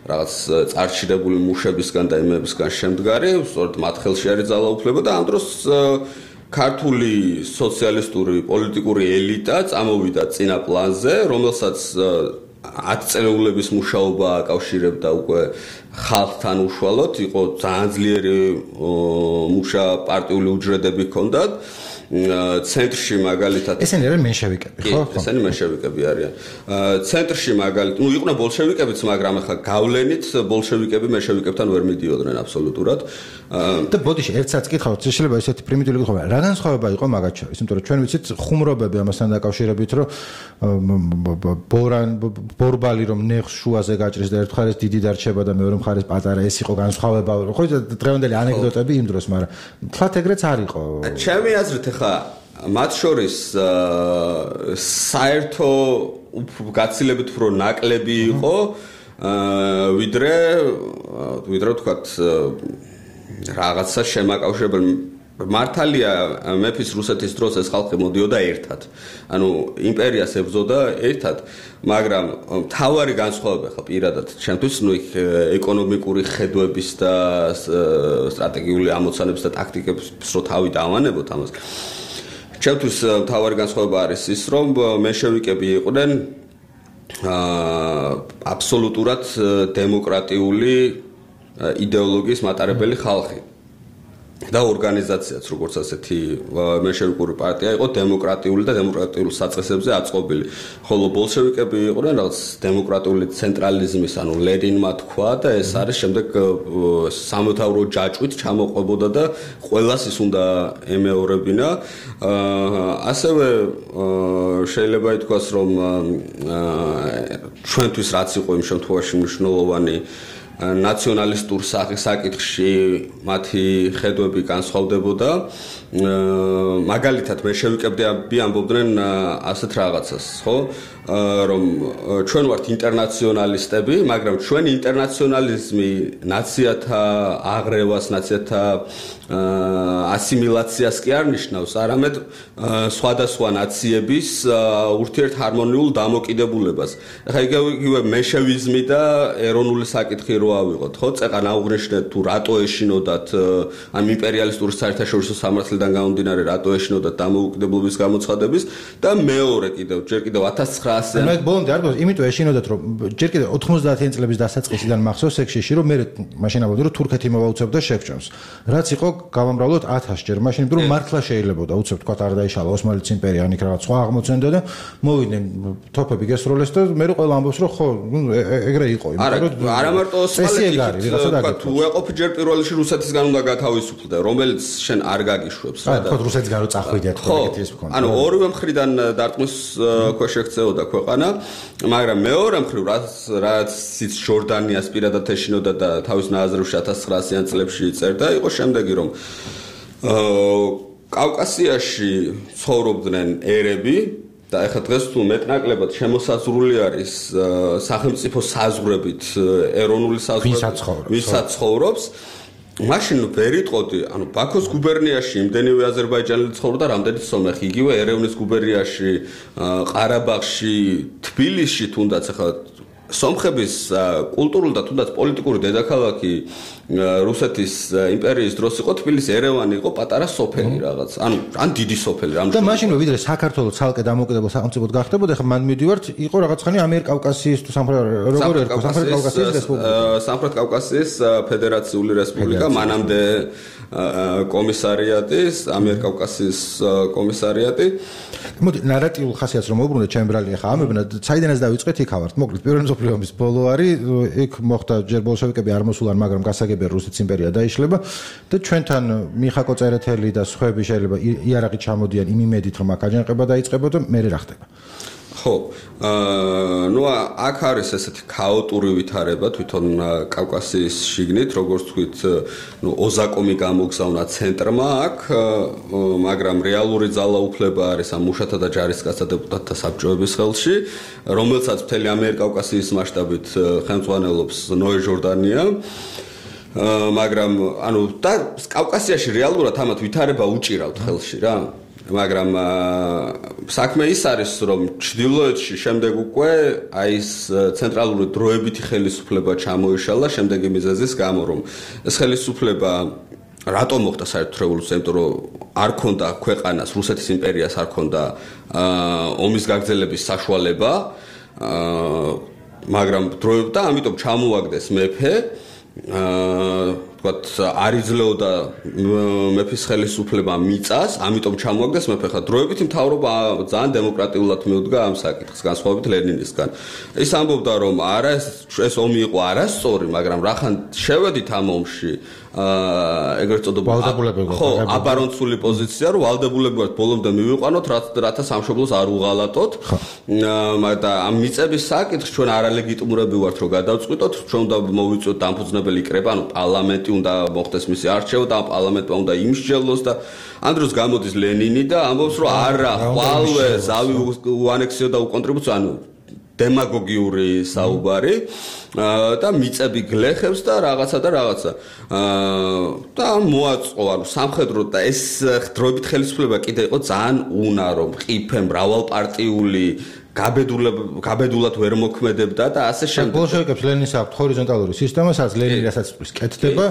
რაღაც წარჩინებული მუშებისგან და იმებისგან შემდგარი, სწორედ მათ ხელში არის ძალაუფლება და ამ დროს ქართული სოციალისტური პოლიტიკური ელიტა წამოვიდა წინა პლანზე, რომელსაც ათი წელეულების მუშაობა აკავშირებდა უკვე ხალხთან უშუალოდ, იყო ძალიან ძლიერი მუშა პარტიული უჯრედები ჰქონდათ. ცენტრში მაგალითად ესენი არიან მენშევიკები, ხო? ესენი მენშევიკები არიან. ცენტრში მაგალითად, ну იყვნენ ბოლშევიკებიც, მაგრამ ახლა გავლენით ბოლშევიკები მენშევიკებთან ვერ მიდიოდნენ აბსოლუტურად. და ბოდიში ერთსაც კითხავთ, შეიძლება ესეთი პრიმიტიული კითხვა, რა განსხვავება იყო მაგათ შორის? იმიტომ რომ ჩვენ ვიცით ხუმრობები ამასთან დაკავშირებით, რომ ბორან ბორბალი რომ ნეხს შუაზე გაჭრის და ერთ მხარეს დიდი დარჩება და მეორე მხარეს პატარა, ეს იყო განსხვავება. ხო, დღევანდელი ანეკდოტები იმ დროს, მაგრამ თლათ ეგრეც არ იყო. ჩემი აზრით ახლა ხა მათ შორის საერთო გაცილებით უფრო ნაკლები იყო ვიდრე ვიდრე თქვათ რაღაცა შემაკავშირებელი მართალია მეფის რუსეთის დროს ეს ხალხი მოდიოდა ერთად. ანუ იმპერიას ებრძოდა ერთად, მაგრამ მთავარი განსხვავება ხა პირადად ჩემთვის ნუ იქ ეკონომიკური ხედვების და სტრატეგიული ამოცანების და ტაქტიკების რო თავი დავანებოთ ამას. ჩემთვის მთავარი განსხვავება არის ის, რომ მენშევიკები იყვნენ აბსოლუტურად დემოკრატიული იდეოლოგიის მატარებელი ხალხი. და ორგანიზაციაც როგორც ასეთი მენშევიკური პარტია იყო დემოკრატიული და დემოკრატიული საწყისებზე აწყობილი. ხოლო ბოლშევიკები იყვნენ რაღაც დემოკრატიული ცენტრალიზმის, ანუ ლენინმა თქვა და ეს არის შემდეგ სამოთავრო ჯაჭვით ჩამოყვებოდა და ყველას ის უნდა ემეორებინა. ასევე შეიძლება ითქვას, რომ ჩვენთვის რაც იყო იმ შემთხვევაში მნიშვნელოვანი ნაციონალისტურ საკითხში მათი ხედვები განსხვავდებოდა. მაგალითად მენშევიკები ამბობდნენ ასეთ რაღაცას, ხო? რომ ჩვენ ვართ ინტერნაციონალისტები, მაგრამ ჩვენი ინტერნაციონალიზმი ნაციათა აღრევას, ნაციათა ასიმილაციას კი არ ნიშნავს, არამედ სხვადასხვა ნაციების ურთიერთჰარმონიულ დამოკიდებულებას. ახლა იგივე მენშევიზმი და ეროვნული საკითხი რო ავიღოთ, ხო? წეყან აუღნიშნეთ თუ რატო ეშინოდათ ამ იმპერიალისტური საერთაშორისო სამართლიდან გამომდინარე რატო ეშინოდათ დამოუკიდებლობის გამოცხადების და მეორე კიდევ ჯერ კიდევ ათას ცხრაასი მე ბოლომდე არ გქონდა, იმიტომ ეშინოდათ რომ ჯერ კიდევ ოცდაათიანი წლების დასაწყისიდან მახსოვს ეგ შეში რომ მე მაშინ ამბობდი რომ თურქეთი მოვაუცებდა შეგვჭამს. რაც იყო გავამრავლოთ ათას ჯერ მაშინ იმიტომ რომ მართლა შეიძლებოდა უცებ თქვა არ დაიშალა ოსმალეთის იმპერია ან იქ რაღაც სხვა აღმოცენდა და მოვიდნენ თოფები გესროლეს და მე რო ყველა ამბობს რომ ხო ეგრე იყო იმიტომ რომ არა მარტო ოსმალეთი თქვა თუ ეყოფი ჯერ პირველ რიგში რუსეთისგან უნდა გათავისუფლდე რომელიც შენ არ გაგიშვებს რა და ხო რუსეთისგან რო წახვიდეთ ხო ეგეთი ის მქონდა ანუ ორივე მხრიდან დარტყმის ქვეშ ექცეოდა ქვეყანა მაგრამ მეორე მხრივ რაც რაც ის ჯორდანიას პირადად ეშინოდა და თავის ნაზრებში ათას ცხრაასიან წლებში წერდა იყო შემდეგი რომ კავკასიაში ცხოვრობდნენ ერები და ეხლა დღეს თუ მეტნაკლებად შემოსაზღვრული არის სახელმწიფო საზღვრებით ეროვნული საზღვრები ვისაც ცხოვრობს მაშინ ვერ იტყოდი ანუ ბაქოს გუბერნიაში იმდენივე აზერბაიჯანელი ცხოვრობდა რამდენიც სომეხი იგივე ერევნის გუბერნიაში ყარაბაღში თბილისში თუნდაც ეხლა სომხების კულტურული და თუნდაც პოლიტიკური დედაქალაქი რუსეთის იმპერიის დროს იყო თბილისი ერევანი იყო პატარა სოფელი რაღაც ანუ ან დიდი სოფელი რამე და მაშინვე ვიდრე საქართველოს ცალკე დამოუკიდებელ სახელმწიფოდ გახდებოდა ხა მან მივიდივართ იყო რაღაც ხანი ამიერკავკასიის თუ სამხრეთ როგორ ერქვა სამხრეთ კავკასიის რესპუბლიკა სამხრეთ კავკასიის ფედერაციული რესპუბლიკა მანამდე კომისარიატის ამიერკავკასიის კომისარიატი მოდი ნარატიულ ხასიათს რომ მოუბრუნდეთ ჩემ ბრალი ხა ამებნა საიდანაც დავიწყეთ იქავართ მოკლედ პირველი მსოფლიო ომის ბოლო არის იქ მოხდა ჯერ ბოლშევიკები არ მოსულან მაგრამ გასაგებია რუსეთის იმპერია დაიშლება და ჩვენთან მიხაკო წერეთელი და სხვები შეიძლება იარაღით ჩამოდიან იმ იმედით რომ აქ აჯანყება დაიწყებოდა მე რა ხდება ხო აა ნუ აქ არის ესეთი ქაოტური ვითარება თვითონ კავკასიის შიგნით როგორც თქვით ნუ ოზაკომი გამოგზავნა ცენტრმა აქ მაგრამ რეალური ძალაუფლება არის ამ მუშათა და ჯარისკაცთა დეპუტატთა საბჭოების ხელში რომელსაც მთელი ამიერკავკასიის მასშტაბით ხელმძღვანელობს ნოე ჟორდანია მაგრამ ანუ და კავკასიაში რეალურად ამათ ვითარება უჭირავთ ხელში რა მაგრამ საქმე ის არის რომ ჩრდილოეთში შემდეგ უკვე აი ეს ცენტრალური დროებითი ხელისუფლება ჩამოიშალა შემდეგი მიზეზის გამო რომ ეს ხელისუფლება რატომ მოხდა საერთო რევოლუცია იმიტომ რომ არ ქონდა ქვეყანას რუსეთის იმპერიას არ ქონდა ომის გაგრძელების საშუალება მაგრამ დროებდა ამიტომ ჩამოაგდეს მეფე ვთქვათ არ იძლეოდა მეფის ხელისუფლება მიწას, ამიტომ ჩამოაგდეს მეფე ხა დროებითი მთავრობა ძალიან დემოკრატიულად მიუდგა ამ საკითხს განსხვავებით ლენინისგან. ის ამბობდა რომ არა ეს ომი იყო არასწორი, მაგრამ რახან შევედით ამ ომში აა ეგრეთ წოდებულ ხო აბარონცული პოზიცია რომ ვალდებულები ვართ ბოლომდე მივიყვანოთ რათა სამშობლოს არ უღალატოთ და ამ მიწების საკითხს ჩვენ არალეგიტიმურები ვართ რომ გადავწყვიტოთ ჩვენ უნდა მოვიწვიოთ დამფუძნებელი კრება ანუ პარლამენტი უნდა მოხდეს მისი არჩევა და პარლამენტმა უნდა იმსჯელოს და ამ დროს გამოდის ლენინი და ამბობს რომ არა ხვალვე ზავი უანექსიო და უკონტრიბუციო ანუ დემაგოგიური საუბარი და მიწები გლეხებს და რაღაცა და რაღაცა და მოაწყო ანუ სამხედრო და ეს დროებით ხელისუფლება კიდე იყო ძალიან უნარო მყიფე მრავალპარტიული გაბედულად გაბედულად ვერ მოქმედებდა და ასე შემდეგ. ბოლშევიკებს ლენინს აქვს ჰორიზონტალური სისტემა, სადაც ლენინი რასაც კეთდება,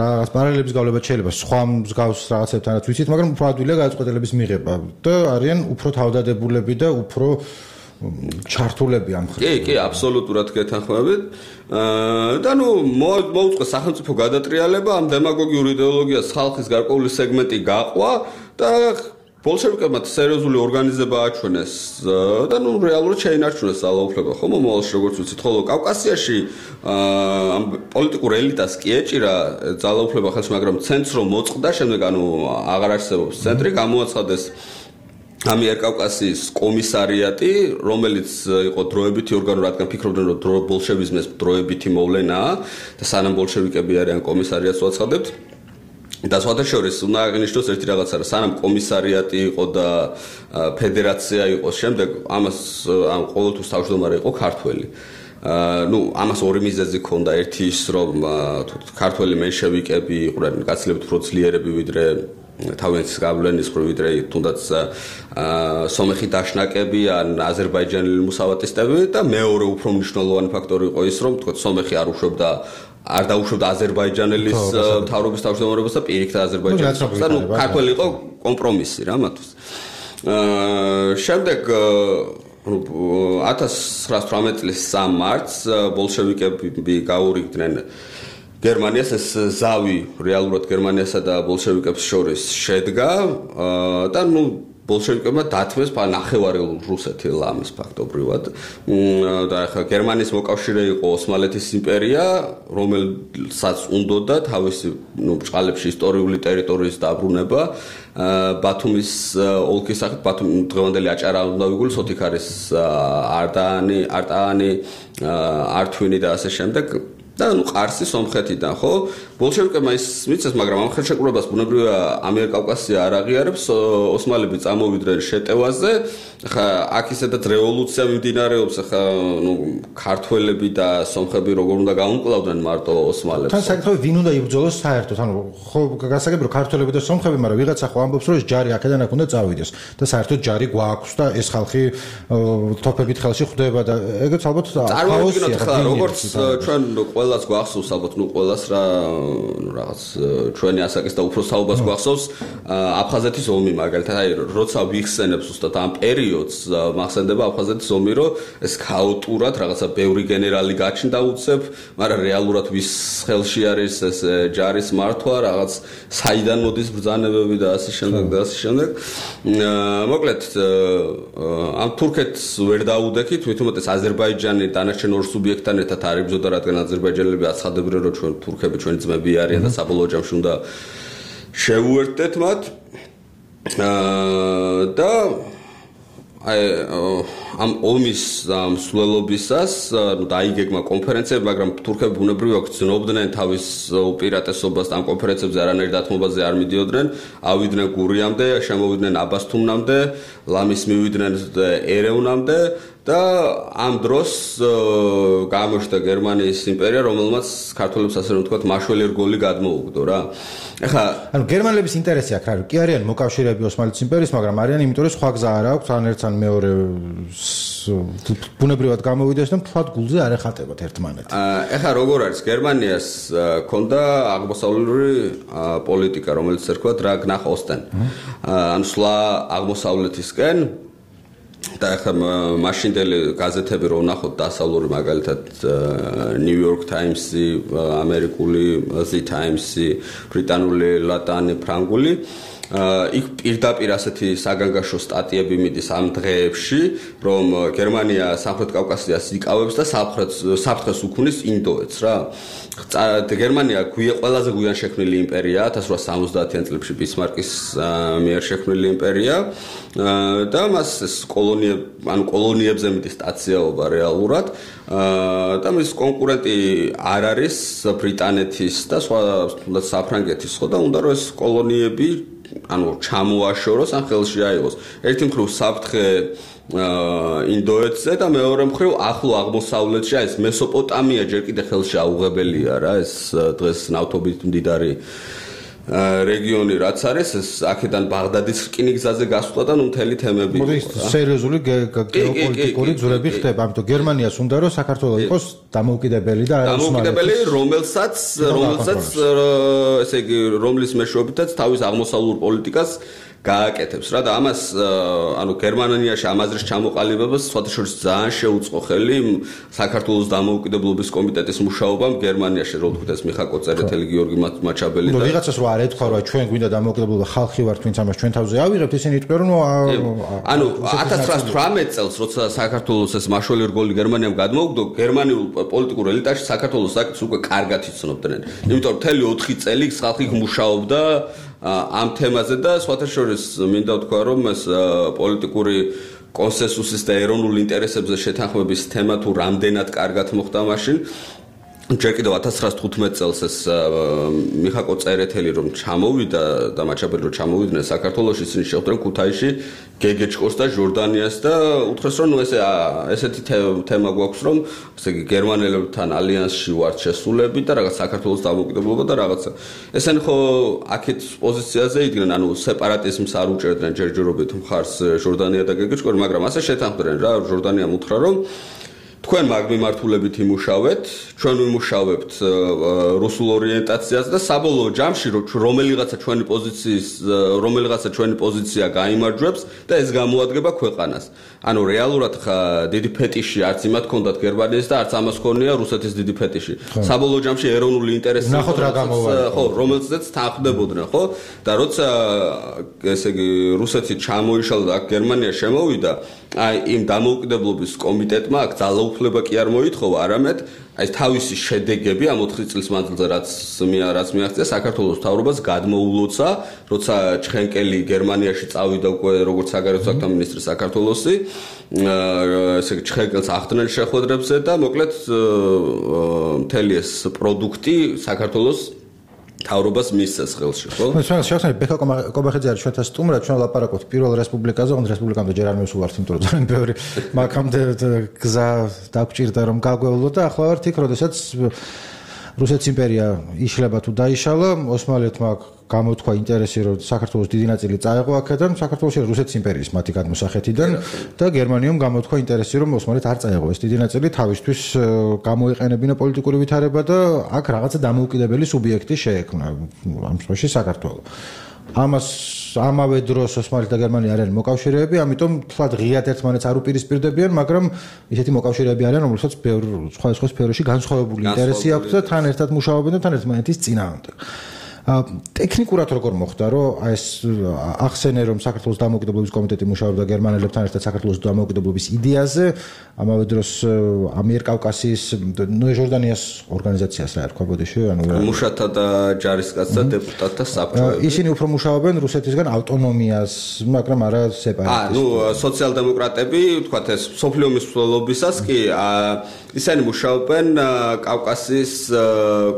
რაღაც პარალელების გავლება შეიძლება სხვა მსგავს რაღაცებთანაც ვიცით, მაგრამ უფრო ადვილია გადაწყვეტილების მიღება და არიან უფრო თავდადებულები და უფრო ჩართულები ამ ხრივ. კი, კი, აბსოლუტურად გეთანხმებით. და ნუ მოუწყო სახელმწიფო გადატრიალება ამ დემაგოგიურ იდეოლოგიას ხალხის გარკვეული სეგმენტი გაყვა და ბოლშევიკებმა სერიოზული ორგანიზება აჩვენეს და ნუ რეალურად შეინარჩუნეს ძალაუფლება ხო მომავალში როგორც ვიცით ხოლო კავკასიაში ამ პოლიტიკურ ელიტას კი ეჭირა ძალაუფლება ხელში მაგრამ ცენტრს რომ მოწყდა შემდეგ ანუ აღარ არსებობს ცენტრი გამოაცხადეს ამიერკავკასიის კომისარიატი რომელიც იყო დროებითი ორგანო რადგან ფიქრობდნენ რომ ბოლშევიზმის დროებითი მოვლენაა და სანამ ბოლშევიკები არიან კომისარიატს უაცხადებთ და სხვადასხვა უნდა აღინიშნოს ერთი რაღაცა რა სანამ კომისარიატი იყო და ფედერაცია იყო შემდეგ ამას ამ ყოველთვის თავმჯდომარე იყო ქართველი ну ამას ორი მიზეზი ჰქონდა ერთი ის რომ ქართველი მენშევიკები იყვნენ გაცილებით უფრო ძლიერები ვიდრე თავიანთი გავლენის ხო ვიდრე თუნდაც სომეხი დაშნაკები ან აზერბაიჯანელი მუსავატისტები და მეორე უფრო მნიშვნელოვანი ფაქტორი იყო ის რომ თქო სომეხი არ უშვებდა არ დაუშვებდა აზერბაიჯანელის მთავრობის თავმჯდომარებას და პირიქით აზერბაიჯანის და ნუ ქართველი იყო კომპრომისი რა მათთვის. შემდეგ ნუ ათას ცხრაას თვრამეტი წლის სამი მარტს ბოლშევიკები გაურიგდნენ გერმანიას ეს ზავი რეალურად გერმანიასა და ბოლშევიკებს შორის შედგა და ნუ ბოლშევიკებმა დათმეს ნახევარი რუსეთი ლამის ფაქტობრივად და ახლა გერმანიის მოკავშირე იყო ოსმალეთის იმპერია რომელსაც უნდოდა თავისი ნუ ბჭყალებში ისტორიული ტერიტორიის დაბრუნება ბათუმის ოლქის სახით ბათუმი დღევანდელი აჭარა უნდა ვიგულო სოთიქარის არტაანი არტაანი ართვინი და ასე შემდეგ და ნუ ყარსი სომხეთიდან ხო ბოლშევიკებმა ის მიცეს მაგრამ ამ ხელშეკრულებას ბუნებრივია ამიერკავკასია არ აღიარებს ოსმალები წამოვიდნენ შეტევაზე ხა აქ ისედაც რევოლუცია მიმდინარეობს ხა ნუ ქართველები და სომხები როგორ უნდა გაუმკლავდნენ მარტო ოსმალებს თან საკითხი ვინ უნდა იბრძოლოს საერთოდ ანუ ხო გასაგები რომ ქართველები და სომხები მაგრამ ვიღაცა ხო ამბობს რომ ეს ჯარი აქედან აქ უნდა წავიდეს და საერთოდ ჯარი გვაქვს და ეს ხალხი თოფებით ხელში ხვდება და ეგეც ალბათ წარმოვიდგინოთ ხა როგორც ჩვენ ყველას გვახსოვს ალბათ ნუ ყველას რა ნუ რაღაც ჩვენი ასაკის და უფრო საუბარს გვახსოვს აფხაზეთის ომი მაგალითად აი როცა ვიხსენებს უბრალოდ ამ პერიოდს მახსენდება აფხაზეთის ომი რომ ეს ქაოტურად რაღაცა ბევრი გენერალი გაჩნდა უცებ მაგრამ რეალურად ვის ხელში არის ეს ჯარის მართვა რაღაც საიდან მოდის ბრძანებები და ასე შემდეგ და ასე შემდეგ მოკლედ ამ თურქეთს ვერ დაუდექით თვითონ ეს აზერბაიჯანი დანარჩენ ორ სუბიექტთან ერთად არ იბრძოდა რადგან აზერბაიჯანელები აცხადებდნენ რომ ჩვენ თურქები ჩვენი ძმები არიან და საბოლოო ჯამში უნდა შევუერთდეთ მათ და აი ამ ომის მსვლელობისას დაიგეგმა კონფერენციები მაგრამ თურქები ბუნებრივია გრძნობდნენ თავის უპირატესობას ამ კონფერენციებზე არანაირ დათმობაზე არ მიდიოდნენ ავიდნენ გურიამდე შემოვიდნენ აბასთუმნამდე ლამის მივიდნენ ერევნამდე და ამ დროს გამოჩნდა გერმანიის იმპერია რომელმაც ქართველებს ასე რომ ვთქვათ მაშველი რგოლი გადმოუგდო რა ეხლა ანუ გერმანელების ინტერესი აქ არის კი არიან მოკავშირეები ოსმალეთის იმპერიის მაგრამ არიან იმიტომ რომ სხვა გზა არ აქვს ან ერთს ან მეორე ბუნებრივად გამოვიდეს და მთლად გულზე არ ეხატებათ ერთმანეთს ეხლა როგორ არის გერმანიას ქონდა აღმოსავლური პოლიტიკა რომელიც ერქვა დრაგ ნახ ოსტენ ანუ სვლა აღმოსავლეთისკენ და ახლა მაშინდელი გაზეთები რო ვნახოთ დასავლური მაგალითად New York Times-ი, ამერიკული The Times-ი, ბრიტანული ლატანი ფრანგული იქ პირდაპირ ასეთი საგანგაშო სტატიები მიდის ამ დღეებში, რომ გერმანია სამხრეთ კავკასიას იკავებს და საფრთხეს უქმნის ინდოეთს რა. გერმანია ყველაზე გვიან შექმნილი იმპერია, ათას რვაასა სამოცდაათიან წლებში ბისმარკის მიერ შექმნილი იმპერია და მას კოლონიებ, ანუ კოლონიებზე მიდის სტაციაობა რეალურად და მის კონკურენტი არ არის ბრიტანეთის და სხვა თუნდაც საფრანგეთის ხო და უნდა რომ ეს კოლონიები ანუ ჩამოაშოროს ან ხელში აიღოს. ერთი მხრივ საფრთხე ინდოეთზე და მეორე მხრივ ახლო აღმოსავლეთში ეს მესოპოტამია ჯერ კიდე ხელში აუღებელია რა ეს დღეს ნავთობით მდიდარი რეგიონი რაც არის ეს აქედან ბაღდადის რკინიგზაზე გასვლა და ნუ მთელი თემები იყო. სერიოზული გეოპოლიტიკური ძვრები ხდება, ამიტომ გერმანიას უნდა რომ საქართველოს იყოს დამოუკიდებელი და დამოუკიდებელი, რომელსაც რომელსაც ესე იგი რომლის მეშვეობითაც თავის აღმოსავლურ პოლიტიკას გააკეთებს რა და ამას ანუ გერმანიაში ამაზრის ჩამოყალიბებას სხვათა შორის ძალიან შეუწყო ხელი საქართველოს დამოუკიდებლობის კომიტეტის მუშაობამ გერმანიაში რო თქვით ეს მიხაკო წერეთელი გიორგი მაჩაბელი და ვიღაცას რო არ ეთქვა რომ ჩვენ გვინდა დამოუკიდებლობა ხალხი ვართ ვინც ამას ჩვენ თავზე ავიღებთ ისინი იტყვიან რომ ანუ ათას ცხრაას თვრამეტ წელს როცა საქართველოს ეს მაშველი რგოლი გერმანიამ გადმოუგდო გერმანიულ პოლიტიკურ ელიტაში საქართველოს საკითხს უკვე კარგად იცნობდნენ იმიტომ რომ მთელი ოთხი წელი ხალხი მუშაობდა ამ თემაზე და სხვათა შორის მინდა ვთქვა რომ ეს პოლიტიკური კონსენსუსის და ეროვნულ ინტერესებზე შეთანხმების თემა თუ რამდენად კარგად მოხდა მაშინ ჯერ კიდევ ათას ცხრაას თხუთმეტ წელს ეს მიხაკო წერეთელი რომ ჩამოვიდა და მაჩაბელი რომ ჩამოვიდნენ საქართველოში ისინი შეხვდნენ ქუთაისში გეგეჭკორს და ჟორდანიას და უთხრეს რომ ნუ ესე ესეთი თემა გვაქვს რომ ესე იგი გერმანელებთან ალიანსში ვართ შესულები და რაღაც საქართველოს დამოუკიდებლობა და რაღაცა ესენი ხო აქეთ პოზიციაზე იდგნენ ანუ სეპარატიზმს არ უჭერდნენ ჯერჯერობით მხარს ჟორდანია და გეგეჭკორი მაგრამ ასე შეთანხმდნენ რა ჟორდანიამ უთხრა რომ თქვენ მაგ მიმართულებით იმუშავეთ, ჩვენ ვიმუშავებთ რუსულ ორიენტაციაზე და საბოლოო ჯამში რომელიღაცა ჩვენი პოზიციის რომელიღაცა ჩვენი პოზიცია გაიმარჯვებს და ეს გამოადგება ქვეყანას. ანუ რეალურად ხა დიდი ფეტიში არც იმათ ჰქონდათ გერმანიის და არც ამას ჰქონია რუსეთის დიდი ფეტიში. საბოლოო ჯამში ეროვნული ინტერესი ნახოთ რა გამოვა. ხო, რომელზეც თანხმდებოდნენ, ხო? და როცა ესე იგი რუსეთი ჩამოიშალა და აქ გერმანია შემოვიდა, აი იმ დამოუკიდებლობის კომიტეტმა აქ ძალაუფლება კი არ მოითხოვა, არამედ აი თავისი შედეგები ამ ოთხი წლის მანძილზე რაც რაც მიაღწია საქართველოს მთავრობას გადმოულოცა, როცა ჩხენკელი გერმანიაში წავიდა უკვე როგორც საგარეო საქმეთა მინისტრი საქართველოსი, ესე იგი ჩხენკელს ახდენენ შეხვედრებზე და მოკლედ მთელი ეს პროდუქტი საქართველოს თავრობას მისცეს ხელში, ხო? ჩვენ შევხსენებთ ბექა კობახიძე არის ჩვენთან სტუმრად, ჩვენ ლაპარაკობთ პირველ რესპუბლიკაზე, ოღონდ რესპუბლიკამდე ჯერ არ მივსულართ, იმიტომ რომ ძალიან ბევრი მაგამდე გზა დაგვჭირდა რომ გაგვევლო და ახლა ვართ იქ, როდესაც რუსეთის იმპერია იშლება თუ დაიშალა, ოსმალეთმა გამოთქვა ინტერესი რომ საქართველოს დიდი ნაწილი წაეღო აქედან, საქართველოში რუსეთის იმპერიის მათი გადმოსახეთიდან და გერმანიამ გამოთქვა ინტერესი რომ ოსმალეთ არ წაეღო ეს დიდი ნაწილი თავისთვის გამოიყენებინა პოლიტიკური ვითარება და აქ რაღაცა დამოუკიდებელი სუბიექტი შეექმნა ამ შემთხვევაში საქართველო. ამას ამავე დროს ოსმალეთი და გერმანია არიან მოკავშირეები, ამიტომ თლად ღიად ერთმანეთს არ უპირისპირდებიან, მაგრამ ისეთი მოკავშირეები არიან, რომელსაც ბევრ სხვადასხვა სფეროში განსხვავებული ინტერესი აქვს და თან ერთად მუშაობენ და თან ერთმანეთის წინააღმდეგ. ტექნიკურად როგორ მოხდა, რომ ეს ახსენე რომ საქართველოს დამოუკიდებლობის კომიტეტი მუშაობდა გერმანელებთან ერთად საქართველოს დამოუკიდებლობის იდეაზე, ამავე დროს ამიერკავკასიის, ნუ ჟორდანიას ორგანიზაციას რა ერქვა ბოდიში, ანუ მუშათა და ჯარისკაცთა დეპუტატთა საბჭოები. ისინი უფრო მუშაობენ რუსეთისგან ავტონომიას, მაგრამ არა სეპარატიზმს. აა, ნუ სოციალ-დემოკრატები, ვთქვათ ეს სოფლიო მსვლელობისას კი ისინი მუშაობენ კავკასიის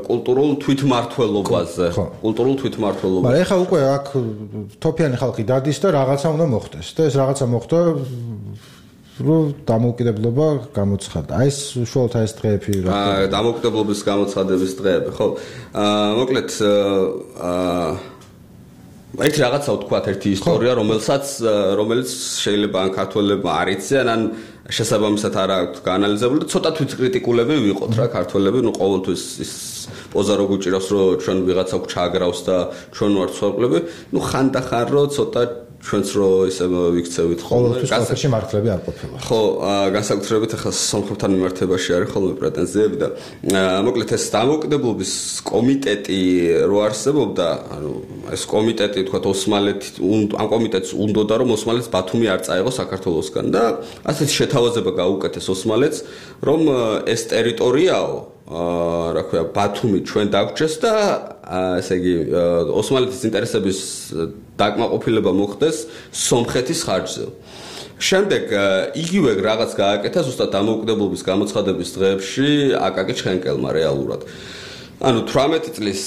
კულტურულ თვითმმართველობაზე. კულტურულ თვითმმართველობაზე. მაგრამ ეხლა უკვე აქ თოფიანი ხალხი დადის და რაღაცა უნდა მოხდეს და ეს რაღაცა მოხდა რომ დამოუკიდებლობა გამოცხადდა. აი ეს უშუალოდ ეს დღეები რა. აა დამოუკიდებლობის გამოცხადების დღეები, ხო? აა მოკლედ აა ერთი რაღაცა ვთქვათ, ერთი ისტორია, რომელსაც რომელიც შეიძლება ან ქართველებმა არ იციან, ან შესაბამისად არ აქვს გაანალიზებული და ცოტა თვითკრიტიკულები ვიყოთ რა ქართველები, ნუ ყოველთვის ის პოზა რო გუჭირავს, რომ ჩვენ ვიღაცა გვჩააგრავს და ჩვენ ვართ სხვაკლები, ნუ ხანდახან რო ცოტა ჩვენც რო ისე ვიქცევით ხოლმე გასაგებში მართლები არ ყოფილა. ხო, განსაკუთრებით ახლა სომხებთან მიმართებაში არის ხოლმე პრეტენზიები და მოკლედ ეს დამოუკიდებლობის კომიტეტი რო არსებობდა, ანუ ეს კომიტეტი თქვა ოსმალეთი ამ კომიტეტს უნდოდა რომ ოსმალეთს ბათუმი არ წაეღო საქართველოსგან და ასეთი შეთავაზება გაუკეთეს ოსმალეთს რომ ეს ტერიტორიაო აა რა ქვია ბათუმი ჩვენ დაგვრჩეს და ესე იგი ოსმალეთის ინტერესების დაკმაყოფილება მოხდეს სომხეთის ხარჯზე. შემდეგ იგივე რაღაც გააკეთა ზუსტად დამოუკიდებლობის გამოცხადების დღეებში აკაკი ჩხენკელმა რეალურად. ანუ თვრამეტი წლის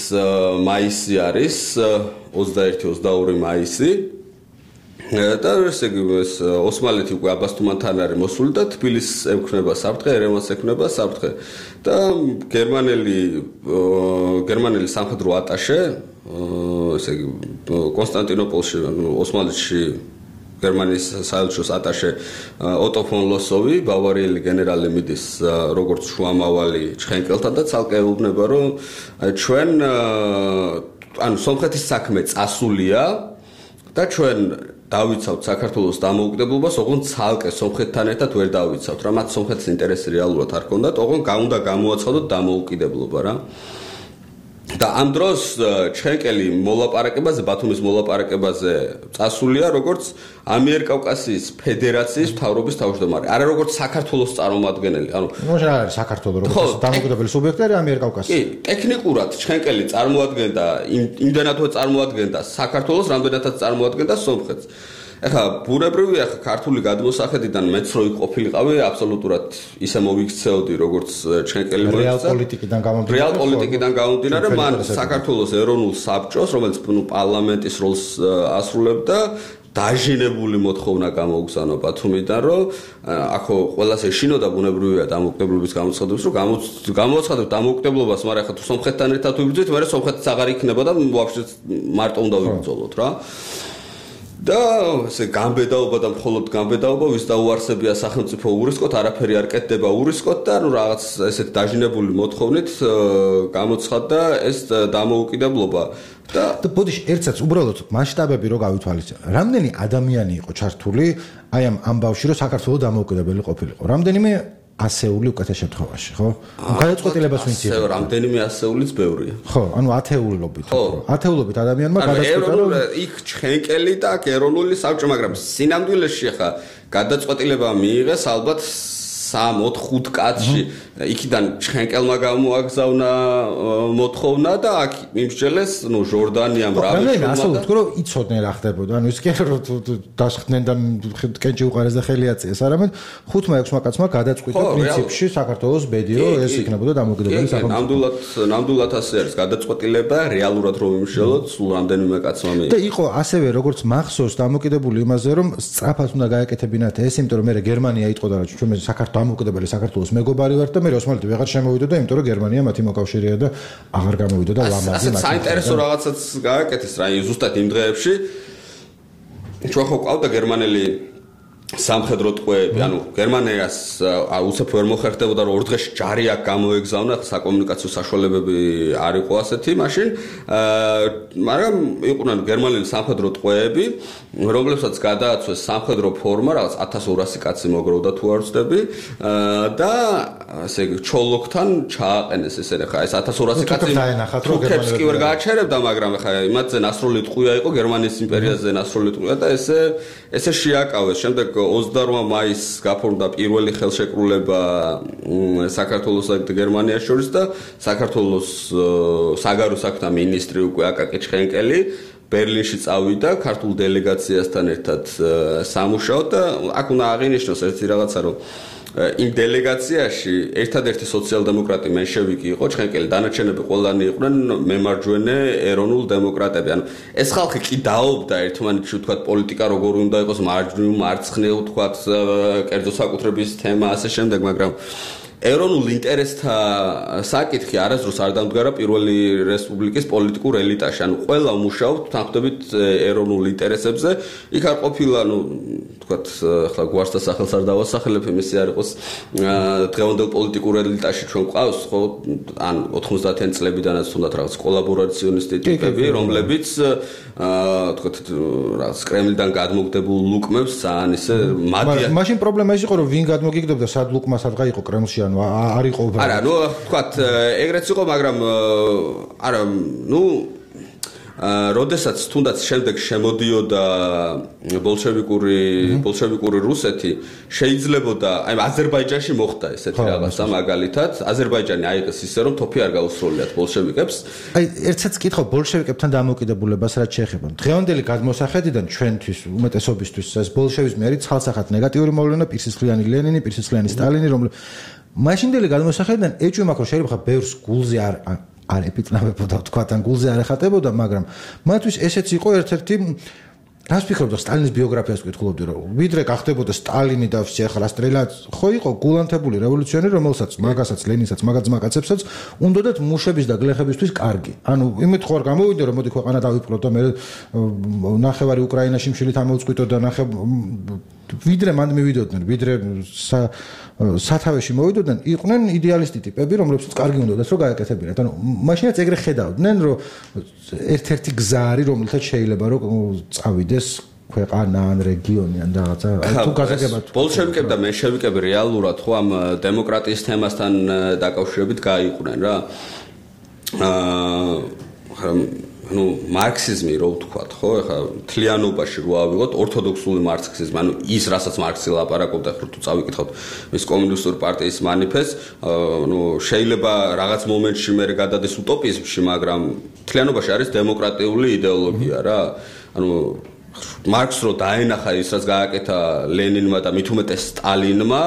მაისი არის ოცდაერთი ოცდაორი მაისი და ესე იგი ეს ოსმალეთი უკვე აბასთუმანთან არის მოსული და თბილისს ეკუთვნება საფრთხე, ერევანს ეკუთვნება საფრთხე და გერმანელი გერმანელი სამხედრო ატაშე ესე იგი კონსტანტინოპოლში, ოსმალეთში გერმანიის საელჩოს ატაშე ოტო ფონ ლოსოვი, ბავარიელი გენერალი მიდის როგორც შუამავალი ჩხენკელთან და ცალკე ეუბნება რომ ჩვენ ანუ სომხეთის საქმე წასულია და ჩვენ დავიცავთ საქართველოს დამოუკიდებლობას, ოღონდ ცალკე სომხეთთან ერთად ვერ დავიცავთ, რა მათ სომხეთის ინტერესი რეალურად არ ჰქონდათ, ოღონდ უნდა გამოაცხადოთ დამოუკიდებლობა რა. და ამ დროს ჩხენკელი მოლაპარაკებაზე, ბათუმის მოლაპარაკებაზე წასულია როგორც ამიერკავკასიის ფედერაციის მთავრობის თავმჯდომარე, არა როგორც საქართველოს წარმომადგენელი. ანუ ნუ რა არის საქართველოს როგორც დამოუკიდებელი სუბიექტი არის ამიერკავკასია. კი, ტექნიკურად ჩხენკელი წარმოადგენდა იმდენადვე წარმოადგენდა საქართველოს, რამდენადაც წარმოადგენდა სომხეთს. ეხლა ბუნებრივია ხა ქართული გადმოსახედიდან მეც რო იყოფილიყავი აბსოლუტურად ისე მოვიქცეოდი როგორც ჩხენკელი მოიქცა რეალ პოლიტიკიდან გამომდინარე რეალ პოლიტიკიდან გამომდინარე მან საქართველოს ეროვნულ საბჭოს რომელიც ნუ პარლამენტის როლს ასრულებდა დაჟინებული მოთხოვნა გამოუგზავნა ბათუმიდან რომ ახო ყველას ეშინოდა ბუნებრივია დამოუკიდებლობის გამოცხადებას რომ გამოცხადებ დამოუკიდებლობას მაგრამ ხა თუ სომხეთთან ერთად ვიბრძვით მაგრამ სომხეთიც აღარ იქნება და ვაფშე მარტო უნდა ვიბრძოლოთ რა და ესე გამბედაობა და მხოლოდ გამბედაობა ვის დაუარსებია სახელმწიფო ურისკოთ არაფერი არ კეთდება ურისკოთ და ნუ რაღაც ესეთ დაჟინებული მოთხოვნით გამოცხადდა ეს დამოუკიდებლობა და ბოდიში ერთსაც უბრალოდ მასშტაბები რო გავითვალისწინო რამდენი ადამიანი იყო ჩართული აი ამ ამბავში რომ საქართველოს დამოუკიდებელი ყოფილიყო რამდენიმე ასეული უკეთეს შემთხვევაში, ხო? გადაწყვეტილებას ვინც იღებს. რამდენიმე ასეულიც ბევრია. ხო, ანუ ათეულობით. ათეულობით ადამიანმა გადაწყვეტა რომ იქ ჩხენკელი და ეროვნული საბჭო, მაგრამ სინამდვილეში ხა გადაწყვეტილება მიიღეს ალბათ სამ ოთხ ხუთ კაცში. იქიდან ჩხენკელმა გამოაგზავნა მოთხოვნა და აქ მიმსჯელეს, ნუ ჟორდანიამ რავიშულმა. რა ასე ვთქვა რომ იცოდნენ რა ხდებოდა. ანუ ის კი არა რომ დასხდნენ და კენჭი უყარეს და ხელი აწიეს, არამედ ხუთმა ექვსმა კაცმა გადაწყვიტა პრინციპში საქართველოს ბედი რომ ეს იქნებოდა დამოუკიდებელი სახელმწიფო. ნამდვილად ნამდვილად ასე არის გადაწყვეტილება რეალურად რომ იმშელოთ სულ რამდენიმე კაცმა მიიღო. და იყო ასევე როგორც მახსოვს დამოუკიდებული იმაზე რომ სწრაფად უნდა გაეკეთებინათ ეს, იმიტომ რომ მე გერმანია იტყოდა რომ ჩვენ საქართველოს დამოუკიდებელი საქართველოს მეგობარი ვართ და მე ოსმალეთი ვეღარ შემოვიდოდა, იმიტომ რომ გერმანია მათი მოკავშირეა და აღარ გამოვიდა და ლამაზი მათი. ასე საინტერესო რაღაცაც გააკეთეს რა, ზუსტად იმ დღეებში. ჩვენ ხო ყავდა გერმანელი სამხედრო ტყვეები, ანუ გერმანიას უცებ ვერ მოხერხდებოდა რომ ორ დღეში ჯარი აქ გამოეგზავნა, საკომუნიკაციო საშუალებები არ იყო ასეთი მაშინ, მაგრამ იყვნენ გერმანელი სამხედრო ტყვეები, რომლებსაც გადააცვეს სამხედრო ფორმა, რაღაც ათას ორასი კაცი მოგროვდა თუ არ ვცდები და ესე იგი ჩოლოქთან ჩააყენეს ესენი ხა ეს ათას ორასი კაცი თურქებს კი ვერ გააჩერებდა, მაგრამ ხა იმათზე ნასროლი ტყვია იყო გერმანიის იმპერიაზე ნასროლი ტყვია და ესე ესე შეაკავეს. შემდეგ ოცდაორ მაისს გაფორმდა პირველი ხელშეკრულება საქართველოსა და გერმანიას შორის და საქართველოს საგარეო საქმეთა მინისტრი უკვე აკაკი ჩხენკელი ბერლინში წავიდა ქართულ დელეგაციასთან ერთად სამუშაოდ და აქ უნდა აღინიშნოს ერთი რაღაცა რომ იმ დელეგაციაში ერთადერთი სოციალ-დემოკრატი მენშევიკი იყო ჩხენკელი, დანარჩენები ყველანი იყვნენ მემარჯვენე ეროვნულ დემოკრატები. ანუ ეს ხალხი კი დაობდა ერთმანეთში ვთქვათ პოლიტიკა როგორ უნდა იყოს მარჯვნივ, მარცხნივ ვთქვათ კერძო საკუთრების თემა ასე შემდეგ, მაგრამ ეროვნულ ინტერესთა საკითხი არასდროს არ დამდგარა პირველი რესპუბლიკის პოლიტიკურ ელიტაში. ანუ ყველა მუშაობთ თანხმდებით ეროვნულ ინტერესებზე. იქ არ ყოფილა, ну, თქვათ, ახლა გვარს და სახელს არ დავასახელებ, იმისი არ იყო იყოს დღევანდელ პოლიტიკურ ელიტაში ჩვენ გვყავს ხო ან ოთხმოცდაათიანი წლებიდანაც თუნდაც რაღაც კოლაბორაციონისტი ტიპები რომლებიც აა თქო რაღაც კრემლიდან გადმოგდებულ ლუკმებს ძალიან ისე მადია მაშინ პრობლემა ის იყო რომ ვინ გადმოგიგდებდა სად ლუკმა სადღა იყო კრემლში ანუ არ იყო არა ნუ თქვა ეგრეც იყო მაგრამ არა ნუ როდესაც თუნდაც შემდეგ შემოდიოდა ბოლშევიკური ბოლშევიკური რუსეთი შეიძლებოდა აი აზერბაიჯანში მოხდა ესეთი რაღაცა მაგალითად აზერბაიჯანი აიღეს ისე რომ თოფი არ გაუსრულიათ ბოლშევიკებს აი ერთსაც კითხო ბოლშევიკებთან დამოუკიდებლობას რაც შეეხება დღევანდელი გადმოსახედიდან ჩვენთვის უმეტესობისთვის ეს ბოლშევიზმი არის ცალსახად ნეგატიური მოვლენა პირსისხლიანი ლენინი პირსისხლიანი სტალინი რომლებიც მაშინდელი გადმოსახედიდან ეჭვი მაქვს რომ შეიძლება ხა ბევრს გულზე არ არ ეპიტნავებოდა თქვა თან გულზე არ ეხატებოდა მაგრამ მათთვის ესეც იყო ერთ-ერთი რას ფიქრობთ სტალინის ბიოგრაფიას ვკითხულობდი რომ ვიდრე გახდებოდა სტალინი და ვსი ახლა სტრელაც ხო იყო გულანთებული რევოლუციონერი რომელსაც მაგასაც ლენინსაც მაგაც მაგაცებსაც უნდათ მუშების და გლეხებისთვის კარგი ანუ იმით ხო არ გამოვიდა რომ მოდი ქვეყანა დავიპყროთ და მე ნახევარი უკრაინაში მშილით ამოვწყვიტო და ნახე ვიდრე მანდ მივიდოდნენ ვიდრე სათავეში მოვიდოდნენ იყვნენ იდეალისტი ტიპები რომლებსაც კარგი უნდათ რომ გაეკეთებინათ ანუ მაშინაც ეგრე ხედავდნენ რომ ერთ-ერთი გზა არის რომელთაც შეიძლება რომ წავიდეს ქვეყანა ან რეგიონი ან რაღაცა თუ გაგება ბოლშევიკები და მენშევიკები რეალურად ხო ამ დემოკრატიის თემასთან დაკავშირებით გაიყვნენ რა აა ну მარქსიზმი რო ვთქვათ ხო ეხა თლიანობაში რო ავიღოთ ორთოდოქსული მარქსიზმი ანუ ის რასაც მარქსი ლაპარაკობდა ხო თუ წავიკითხოთ მის კომუნისტური პარტიის მანიფესტს ну შეიძლება რაღაც მომენტში მე გადადეს უტოპიზმში მაგრამ თლიანობაში არის დემოკრატიული იდეოლოგია რა ანუ მარქს რო დაენახა ის რაც გააკეთა ლენინმა და მით უმეტეს სტალინმა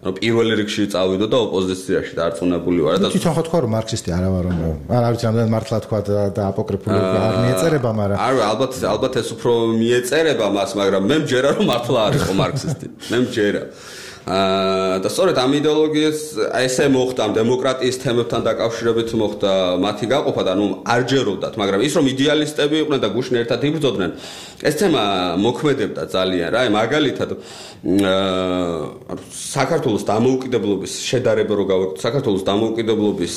ანუ პირველ რიგში წავიდო და ოპოზიციაში დარწმუნებული ვარ და თვითონ ხო თქვა რომ მარქსისტი არა ვარ რომ არ არის რამდენად მართლა თქვა და აპოკრიფული არ მიეწერება მაგრამ არა ალბათ ალბათ ეს უფრო მიეწერება მას მაგრამ მე მჯერა რომ მართლა არ იყო მარქსისტი მე მჯერა აა და სწორედ ამ იდეოლოგიას ესე მოხდა ამ დემოკრატიის თემებთან დაკავშირებით მოხდა მათი გაყოფა და ნუ არ ჯეროდათ მაგრამ ის რომ იდეალისტები იყვნენ და გუშინ ერთად იბრძოდნენ ეს თემა მოქმედებდა ძალიან რა აი მაგალითად აა საქართველოს დამოუკიდებლობის შედარება რო გავაკეთოთ საქართველოს დამოუკიდებლობის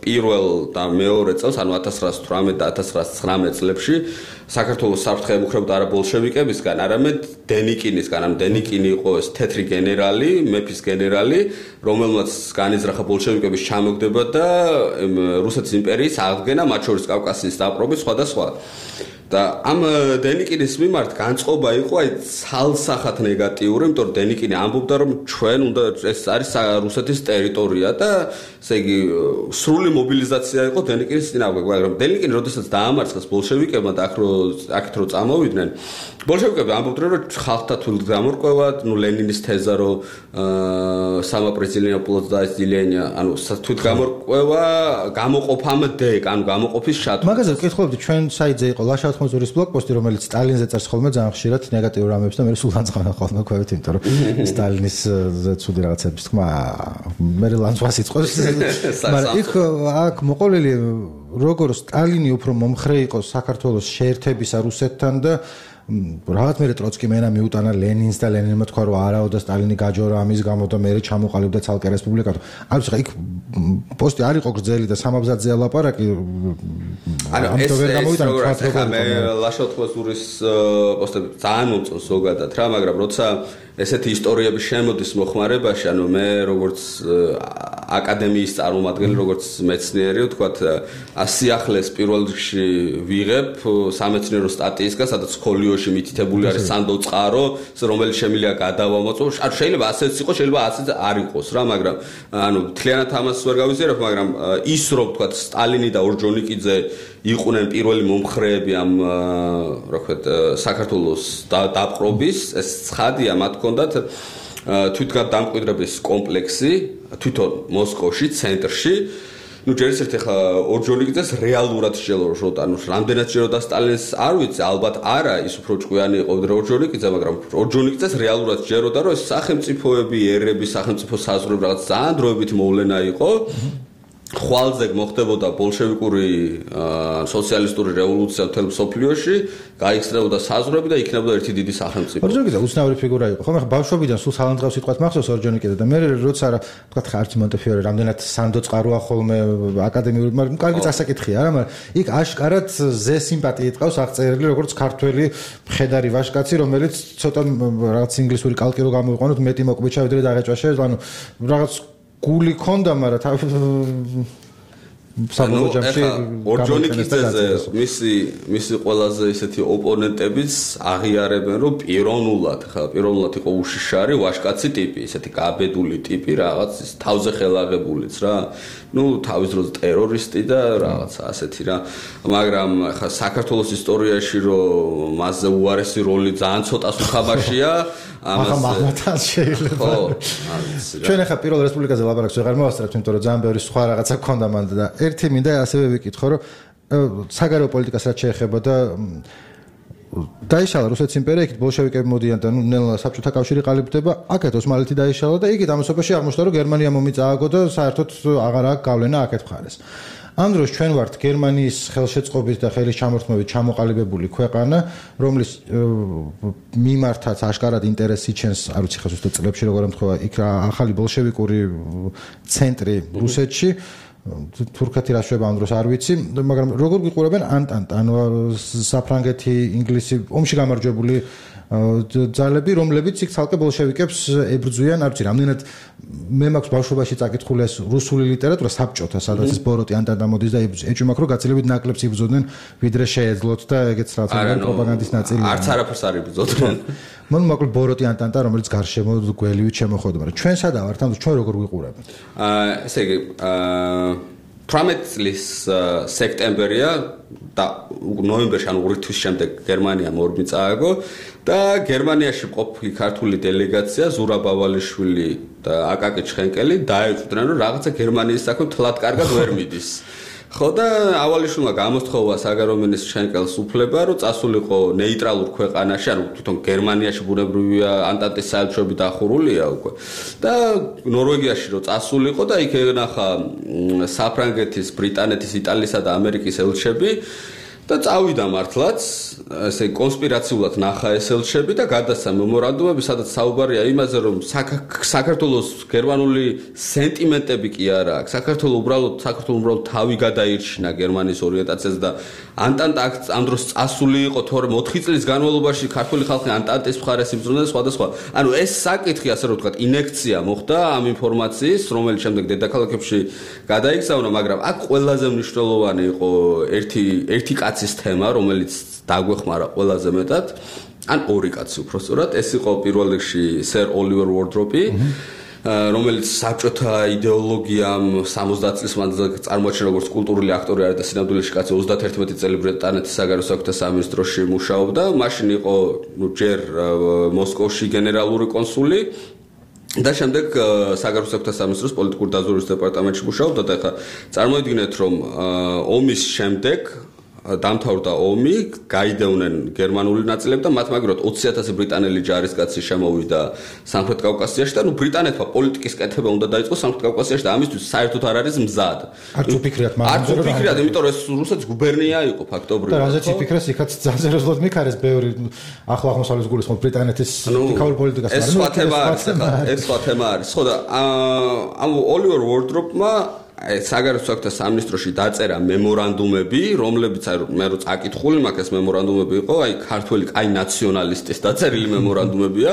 პირველ და მეორე წელს ანუ ათას ცხრაას თვრამეტ და ათას ცხრაას ცხრამეტ წლებში საქართველოს საფრთხე ემუქრებოდა არა ბოლშევიკებისგან არამედ დენიკინისგან ან დენიკინი იყო ეს თეთრი გენერალი მეფის გენერალი რომელმაც განიზრახა ბოლშევიკების ჩამოგდება და რუსეთის იმპერიის აღდგენა მათ შორის კავკასიის დაპყრობი სხვა და სხვა და ამ დენიკინის მიმართ განწყობა იყო აი ცალსახად ნეგატიური, იმიტომ რომ დენიკინი ამბობდა რომ ჩვენ უნდა ეს არის რუსეთის ტერიტორია და ესე იგი სრული მობილიზაცია იყო დენიკინის წინააღმდეგ, მაგრამ დენიკინი როდესაც დაამარცხეს ბოლშევიკებმა და აქ რო აქეთ რო წამოვიდნენ, ბოლშევიკები ამბობდნენ რომ ხალხთა თვით გამორკვევა, ნუ ლენინის თეზა რომ სამაპრეზიდენტო разделение, ანუ თვით გამორკვევა გამოყოფამდე, ანუ გამოყოფის შატვა. მაგაზე ვკითხულობდი ჩვენ საიტზე იყო ლაშა ხმოზურის ბლოგპოსტი, რომელიც სტალინზე წერს ხოლმე ძალიან ხშირად ნეგატიურ რამებს და მე სულ განწყანა ხოლმე ქვევით, იმიტომ რომ სტალინის ცუდი რაღაცების თქმა მე ლანძვას იწყოს. მაგრამ იქ აქ მოყოლილი როგორ სტალინი უფრო მომხრე იყო საქართველოს შეერთებისა რუსეთთან და რაღაც მე ტროცკი მენა მიუტანა ლენინს და ლენინმა თქვა რომ არაო და სტალინი გაჯორა ამის გამო და მე ჩამოყალიბდა ცალკე რესპუბლიკა. ანუ ხა იქ პოსტი არ იყო გრძელი და სამაბზადზე ლაპარაკი. ანუ ეს როგორ მე ლაშა ხმოზურის პოსტები ძალიან მომწონს ზოგადად რა, მაგრამ როცა ესეთი ისტორიები შემოდის მოხმარებაში, ანუ მე როგორც აკადემიის წარმომადგენელი, როგორც მეცნიერი, ვთქვათ, სიახლეს პირველ რიგში ვიღებ სამეცნიერო სტატიისგან, სადაც ხოლიოში მითითებული არის სანდო წყარო, რომელიც შემიძლია გადავამოწმო. ანუ შეიძლება ასეც იყოს, შეიძლება ასეც არ იყოს რა, მაგრამ ანუ თლიანად ამას ვერ გავიზიარებ, მაგრამ ის რომ ვთქვათ, სტალინი და ორჯონიკიძე იყვნენ პირველი მომხრეები ამ რა ვთქვათ საქართველოს დაპყრობის, ეს ცხადია, მათ ჰქონდათ თვითგადამკვიდრების კომპლექსი თვითონ მოსკოვში, ცენტრში. ნუ ჯერ ერთ ახლა ორჯონიკიძეს რეალურად შეელოშოთ, ანუ რამდენად შეელოდა სტალინს არ ვიცი, ალბათ არა, ის უფრო ჭკვიანი იყო ვიდრე ორჯონიკიძე, მაგრამ ორჯონიკიძეს რეალურად შეელოდა, რომ ეს სახელმწიფოები, ერები, სახელმწიფო საზღვრები რაღაც ძალიან დროებით მოვლენა იყო. ხვალზე მოხდებოდა ბოლშევიკური სოციალისტური რევოლუცია მთელ მსოფლიოში, გაიხსნებოდა საზღვრები და იქნებოდა ერთი დიდი სახელმწიფო. ორჯონიკიძე უცნაური ფიგურა იყო. ხომ ახლა ბავშვობიდან სულ სალანძღავს სიტყვას მახსოვს ორჯონიკიძე და მე როცა რა თქვა ხარჯი მონტეფიორე რამდენად სანდო წყაროა ხოლმე აკადემიური, მაგრამ კარგი წასაკითხია რა, მაგრამ იქ აშკარად ზე სიმპათიით ყავს აღწერილი როგორც ქართველი მხედარი ვაჟკაცი, რომელიც ცოტა რაღაც ინგლისური კალკი რო გამოიყვანოთ, მეტი მოკვიჩა ვიდრე დაღეჭვაშე, ანუ რაღაც გული ქონდა, მაგრამ საბოლოო ჯამში ორჯონიკიძეზე მისი მისი ყველაზე ისეთი ოპონენტებიც აღიარებენ, რომ პიროვნულად, ხა პიროვნულად იყო უშიშარი ვაჟკაცი ტიპი, ისეთი გაბედული ტიპი, რაღაც ის თავზე ხელაღებულიც რა. ნუ თავის დროზე ტერორისტი და რაღაც ასეთი რა. მაგრამ ხა საქართველოს ისტორიაში რომ მასზე უარესი როლი ძალიან ცოტას უხაბაშია, ამას მაგათაც შეიძლება. ხო, ჩვენ ახლა პირველ რესპუბლიკაზე ლაპარაკს ვეღარ მოვასწრებთ, იმიტომ რომ ძალიან ბევრი სხვა რაღაცა გქონდა მანდ და ერთი მინდა ასევე ვიკითხო, რომ საგარეო პოლიტიკას რაც შეეხება და დაიშალა რუსეთის იმპერია, იქით ბოლშევიკები მოდიან და ნუ ნელა საბჭოთა კავშირი ყალიბდება, აქეთ ოსმალეთი დაიშალა და იქით ამასობაში აღმოჩნდა, რომ გერმანია მომიწააგო და საერთოდ აღარ აქვს გავლენა აქეთ მხარეს. ამ დროს ჩვენ ვართ გერმანიის ხელშეწყობით და ხელის ჩამორთმევით ჩამოყალიბებული ქვეყანა, რომლის მიმართაც აშკარად ინტერესი ჩენს, არ ვიცი ხა ზუსტად წლებში როგორ ემთხვევა, იქ ახალი ბოლშევიკური ცენტრი რუსეთში, თურქეთი რა შვება ამ დროს არ ვიცი, მაგრამ როგორ გიყურებენ ანტანტა, ანუ საფრანგეთი, ინგლისი, ომში გამარჯვებული ძალები, რომლებიც იქ ცალკე ბოლშევიკებს ებრძვიან, არ ვიცი, რამდენად მე მაქვს ბავშვობაში წაკითხული ეს რუსული ლიტერატურა საბჭოთა, სადაც ეს ბოროტი ანტანტა მოდის და ეჭვი მაქვს, რომ გაცილებით ნაკლებს იბრძოდნენ, ვიდრე შეეძლოთ და ეგეც რაღაცა პროპაგანდის ნაწილია. არც არაფერს არ იბრძოდნენ. მან მოკლედ ბოროტი ანტანტა, რომელიც გარშემო გველივით შემოხვდა, მაგრამ ჩვენ სადაა ვართ, ამ ჩვენ როგორ ვიყურებთ? აა ესე იგი, აა თვრამეტი წლის სექტემბერია და ნოემბერში ანუ ორი თვის შემდეგ გერმანია მორმიწააგო და გერმანიაში მყოფი ქართული დელეგაცია ზურაბ ავალიშვილი და აკაკი ჩხენკელი დაეჭვდნენ, რომ რაღაცა გერმანიის საქმე თლად კარგად ვერ მიდის. ხო და ავალიშვილმა გამოსთხოვა საგარეო მინისტრ ჩხენკელს უფლება, რომ წასულიყო ნეიტრალურ ქვეყანაში, ანუ თვითონ გერმანიაში ბუნებრივია ანტანტის საელჩოები დახურულია უკვე. და ნორვეგიაში რომ წასულიყო და იქ ენახა საფრანგეთის, ბრიტანეთის, იტალიისა და ამერიკის ელჩები და წავიდა მართლაც, ესე კონსპირაციულად ნახა ეს ელჩები და გადასცა მემორანდუმები, სადაც საუბარია იმაზე, რომ საქართველოს გერმანული სენტიმენტები კი არა აქვს. საქართველოს უბრალოდ საქართველოს უბრალოდ თავი გადაირჩინა გერმანიის ორიენტაციაზე და ანტანტა ამ დროს წასული იყო, თორემ ოთხი წლის განმავლობაში ქართული ხალხი ანტანტის მხარეს იბრძოდა სხვადასხვა. ანუ ეს საკითხი, ასე რომ ვთქვათ, ინექცია მოხდა ამ ინფორმაციის, რომელიც შემდეგ დედაქალაქებში გადაიგზავნა, მაგრამ აქ ყველაზე მნიშვნელოვანი იყო ერთი ერთი კაცის თემა, რომელიც დაგვეხმარა ყველაზე მეტად, ან ორი კაცი უბრალოდ. ეს იყო პირველ რიგში სერ ოლივერ უორდროპი, რომელიც საბჭოთა იდეოლოგიამ სამოცდაათ წლის მანძილზე წარმოაჩინა როგორც კულტურული აქტორი არის და სინამდვილეში კაცი ოცდაათერთმეტი წელი ბრიტანეთის საგარეო საქმეთა სამინისტროში მუშაობდა. მაშინ იყო ჯერ მოსკოვში გენერალური კონსული და შემდეგ საგარეო საქმეთა სამინისტროს პოლიტიკური დაზვერვის დეპარტამენტში მუშაობდა და ახლა წარმოიდგინეთ, რომ ომის შემდეგ დამთავრდა ომი, გაიდევნენ გერმანული ნაწილები და მათ მაგრად ოცი ათასი ბრიტანელი ჯარისკაცი შემოვიდა სამხრეთ კავკასიაში და ნუ ბრიტანეთმა პოლიტიკის კეთება უნდა დაიწყოს სამხრეთ კავკასიაში და ამისთვის საერთოდ არ არის მზად. არც უფიქრიათ მაგრამ არც უფიქრიათ, იმიტომ რომ ეს რუსეთის გუბერნია იყო ფაქტობრივად. და რაზეც იფიქრეს, იქაც ძალიან მიქარეს ბევრი ახლა აღმოსავლეთის გულისხმობ ბრიტანეთის პოლიტიკურ პოლიტიკას. ეს სხვა თემა არის, ეს სხვა თემა არის. ხო და ამ ოლივერ უორდროპმა საგარეო საქმეთა სამინისტროში დაწერა მემორანდუმები, რომლებიც აი მე რო წაკითხული მაქვს ეს მემორანდუმები იყო, აი ქართველი აი ნაციონალისტის დაწერილი მემორანდუმებია,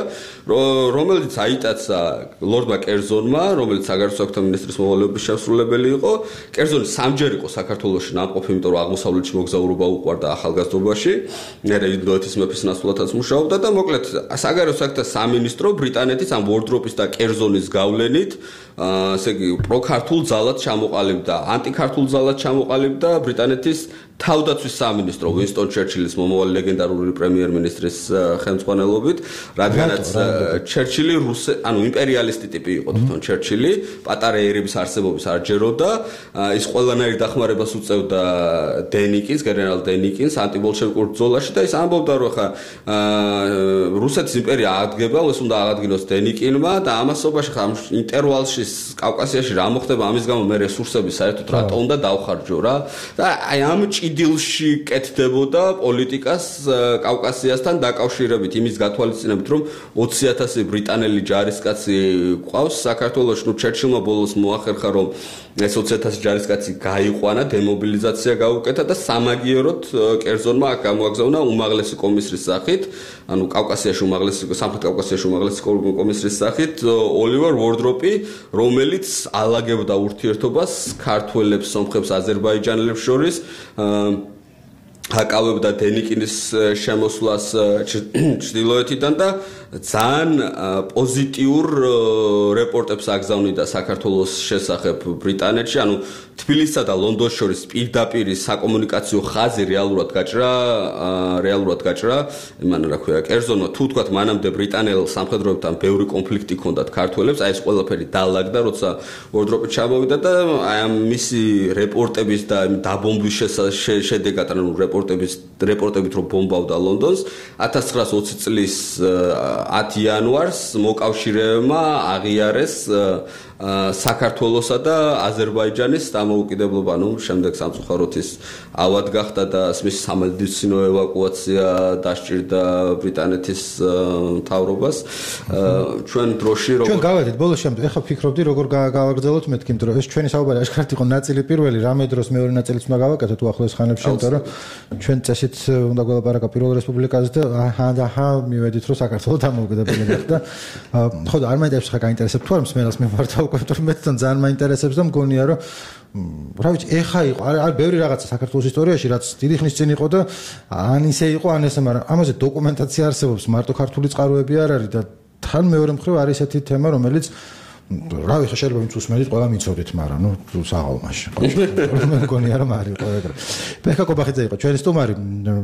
რომელიც აიტაცა ლორდმა კერძონმა, რომელიც საგარეო საქმეთა მინისტრის მოვალეობის შესრულებელი იყო. კერძონი სამჯერ იყო საქართველოში ნამყოფი, იმიტომ რომ აღმოსავლეთში მოგზაურობა უყვარდა ახალგაზრდობაში, მერე ინდოეთის მეფის ნაცვლადაც მუშაობდა და მოკლედ საგარეო საქმეთა სამინისტრო ბრიტანეთის ამ უორდროპის და კერძონის გავლენით ასე იგი პროქართულ ძალად ჩამოყალიბდა, ანტიქართულ ძალად ჩამოყალიბდა ბრიტანეთის თავდაცვის სამინისტრო ვინსტონ ჩერჩილის მომავალი ლეგენდარული პრემიერ-მინისტრის ხელმძღვანელობით, რადგანაც ჩერჩილი რუსე, ანუ იმპერიალისტი ტიპი იყო თვითონ ჩერჩილი, პატარა ერების არსებობის არ ჯეროდა, ის ყველანაირ დახმარებას უწევდა დენიკინს, გენერალ დენიკინს ანტიბოლშევიკურ ბრძოლაში და ის ამბობდა, რომ ხა რუსეთის იმპერია აღდგება, ეს უნდა აღადგინოს დენიკინმა და ამასობაში ხა ინტერვალში კავკასიაში რა მოხდება, ამის გამო მე რესურსები საერთოდ რატო უნდა დავხარჯო რა და აი ამ ჭიდილში კეთდებოდა პოლიტიკას კავკასიასთან დაკავშირებით იმის გათვალისწინებით, რომ ოცი ათასი ბრიტანელი ჯარისკაცი ყავს საქართველოში, ნუ ჩერჩილმა ბოლოს მოახერხა, რომ ეს ოცი ათასი ჯარისკაცი გაიყვანა, დემობილიზაცია გაუკეთა და სამაგიეროდ კერძონმა აქ გამოაგზავნა უმაღლესი კომისრის სახით, ანუ კავკასიაში უმაღლესი, სამხრეთ კავკასიაში უმაღლესი კომისრის სახით ოლივერ ვორდროპი, რომელიც ალაგებდა ურთიერთობას ქართველებს, სომხებს, აზერბაიჯანელებს შორის, აკავებდა დენიკინის შემოსვლას ჩრდილოეთიდან და ძალიან პოზიტიურ რეპორტებს აგზავნიდა საქართველოს შესახებ ბრიტანეთში, ანუ თბილისსა და ლონდონს შორის პირდაპირ საკომუნიკაციო ხაზი რეალურად გაჭრა, რეალურად გაჭრა, იმან რა ქვია, კერძონმა თუ თქვათ მანამდე ბრიტანელ სამხედროებთან ბევრი კონფლიქტი ჰქონდათ ქართველებს, აი ეს ყველაფერი დაალაგდა, როცა ვორდროპი ჩამოვიდა და აი ამ მისი რეპორტების და დაბომბვის შედეგად, ანუ რეპორტების რეპორტებით რომ ბომბავდა ლონდონს, ათას ცხრაას ოცი წლის ათი იანვარს მოკავშირეებმა აღიარეს საქართველოსა და აზერბაიჯანის დამოუკიდებლობა, ну, შემდეგ სამწუხაროდ ის ავად გახდა და მის სამედიცინო ევაკუაცია დასჭირდა ბრიტანეთის მთავრობას. ჩვენ დროში როგორ ჩვენ გავედით ბოლოს შემდეგ, ეხლა ფიქრობდი როგორ გავაგრძელოთ მეთქი, იმიტომ რომ ეს ჩვენი საუბარი აშკარად იყო ნაწილი პირველი, რამე დროს მეორე ნაწილიც უნდა გავაკეთოთ უახლოეს ხანებში, იმიტომ რომ ჩვენ წესით უნდა გველაპარაკა პირველ რესპუბლიკაზე და აჰა და აჰა მივედით რომ საქართველოს დამოუკიდებელი გახდა. ხო და არ მაინტერესებს ხა გაინტერესებს თუ არ მსმენელს მემართავ კონტროლ მეტთან ძალიან მაინტერესებს და მგონია რომ რა ვიცი ეხა იყო არ ბევრი რაღაცა საქართველოს ისტორიაში რაც დიდი ხნის წინ იყო და ან ისე იყო ან ესე, მაგრამ ამაზე დოკუმენტაცია არსებობს, მარტო ქართული წყაროები არ არის და თან მეორე მხრივ არის ესეთი თემა, რომელიც რა ვიცი შეიძლება ვინც უსმენთ ყველა მიცოდით, მაგრამ ნუ საღალმაში. მე მგონია რომ არის ყველგან. ბექა კობახიძე იყო ჩვენი სტუმარი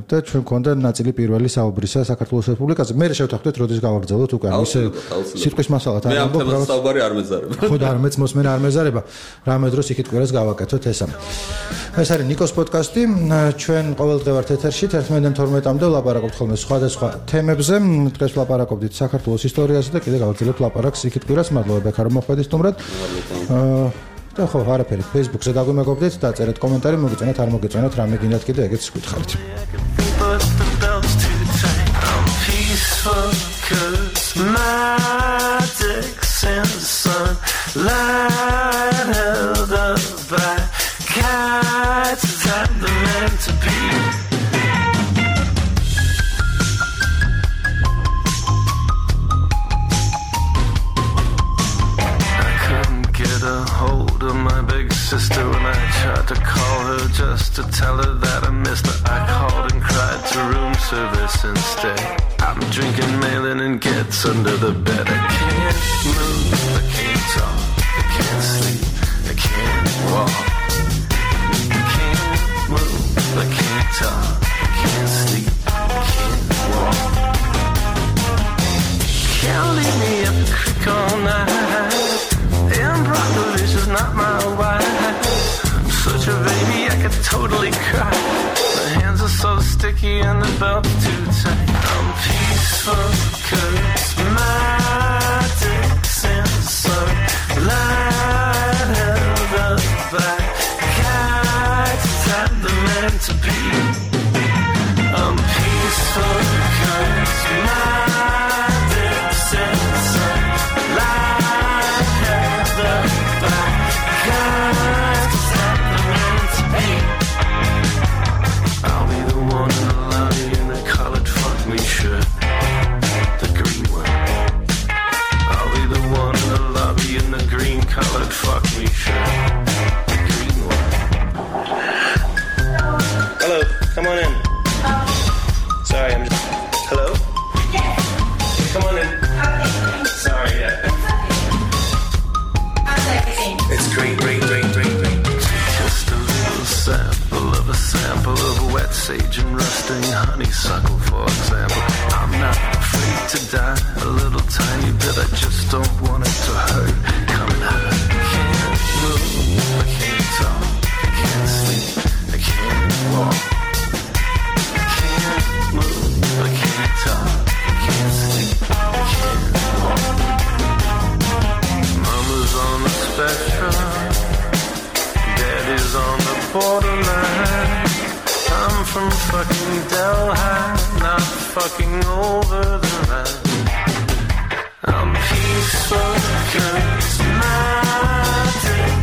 და ჩვენ გქონდა ნაწილი პირველი საუბრისა საქართველოს რესპუბლიკაზე. მე შევთანხმდეთ როდის გავაგრძელოთ უკან ისე სიტყვის მასალათ არ ამბობ. მე ამ საუბარი არ მეძარება. ხო და არ მეც მოსმენა არ მეძარება. რამე დროს იქით კვირას გავაკეთოთ ესა. ეს არის ნიკოს პოდკასტი. ჩვენ ყოველდღე ვართ ეთერში თერთმეტ თორმეტამდე ვლაპარაკობთ ხოლმე სხვადასხვა თემებზე. დღეს ვლაპარაკობდით საქართველოს ისტორიაზე და კიდე გავაგრძელებთ ლაპარაკს იქით კვირას. მადლობა ბექა მოხდით სტუმრად. აა და ხო არაფერი Facebook-ზე დაგვიმეგობრდით, დაწერეთ კომენტარი, მოგეწონათ, არ მოგეწონათ, რამე გინდათ კიდე ეგეც გითხარით. Sister, when I tried to call her just to tell her that I missed her, I called and cried to room service instead. I'm drinking Malin and gets under the bed. I can't move, I can't talk, I can't sleep, I can't walk. I can't move, I can't talk, I can't sleep, I can't walk. Can't leave me up the creek all night. Improperly, she's not my wife. I'm such a baby, I could totally cry. My hands are so sticky and the belt's too tight. I'm peaceful, charismatic, sensor, light held up by kites, time the meant to be. I'm peaceful, charismatic, sensor, light. I'll be the one in the lobby in the collared fuck me shirt, the green one. honeysuckle, for example. I'm not afraid to die a little tiny bit. I just don't want it to hurt. Coming out. I can't move, I can't talk, I can't sleep, I can't walk. I can't move, I can't talk, I can't sleep, I can't walk. Mama's on the spectrum, Daddy's on the borderline. I'm from fucking Delhi, not fucking over the line. I'm peaceful, charismatic,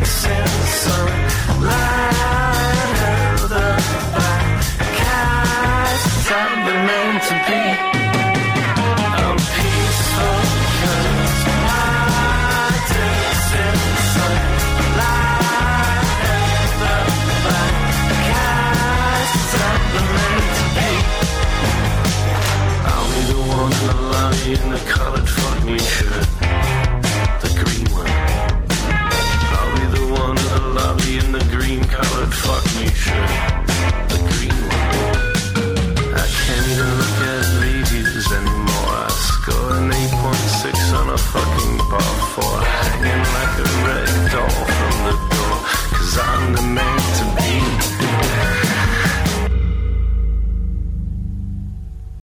sensory, light held up by cats. I've been meant to be.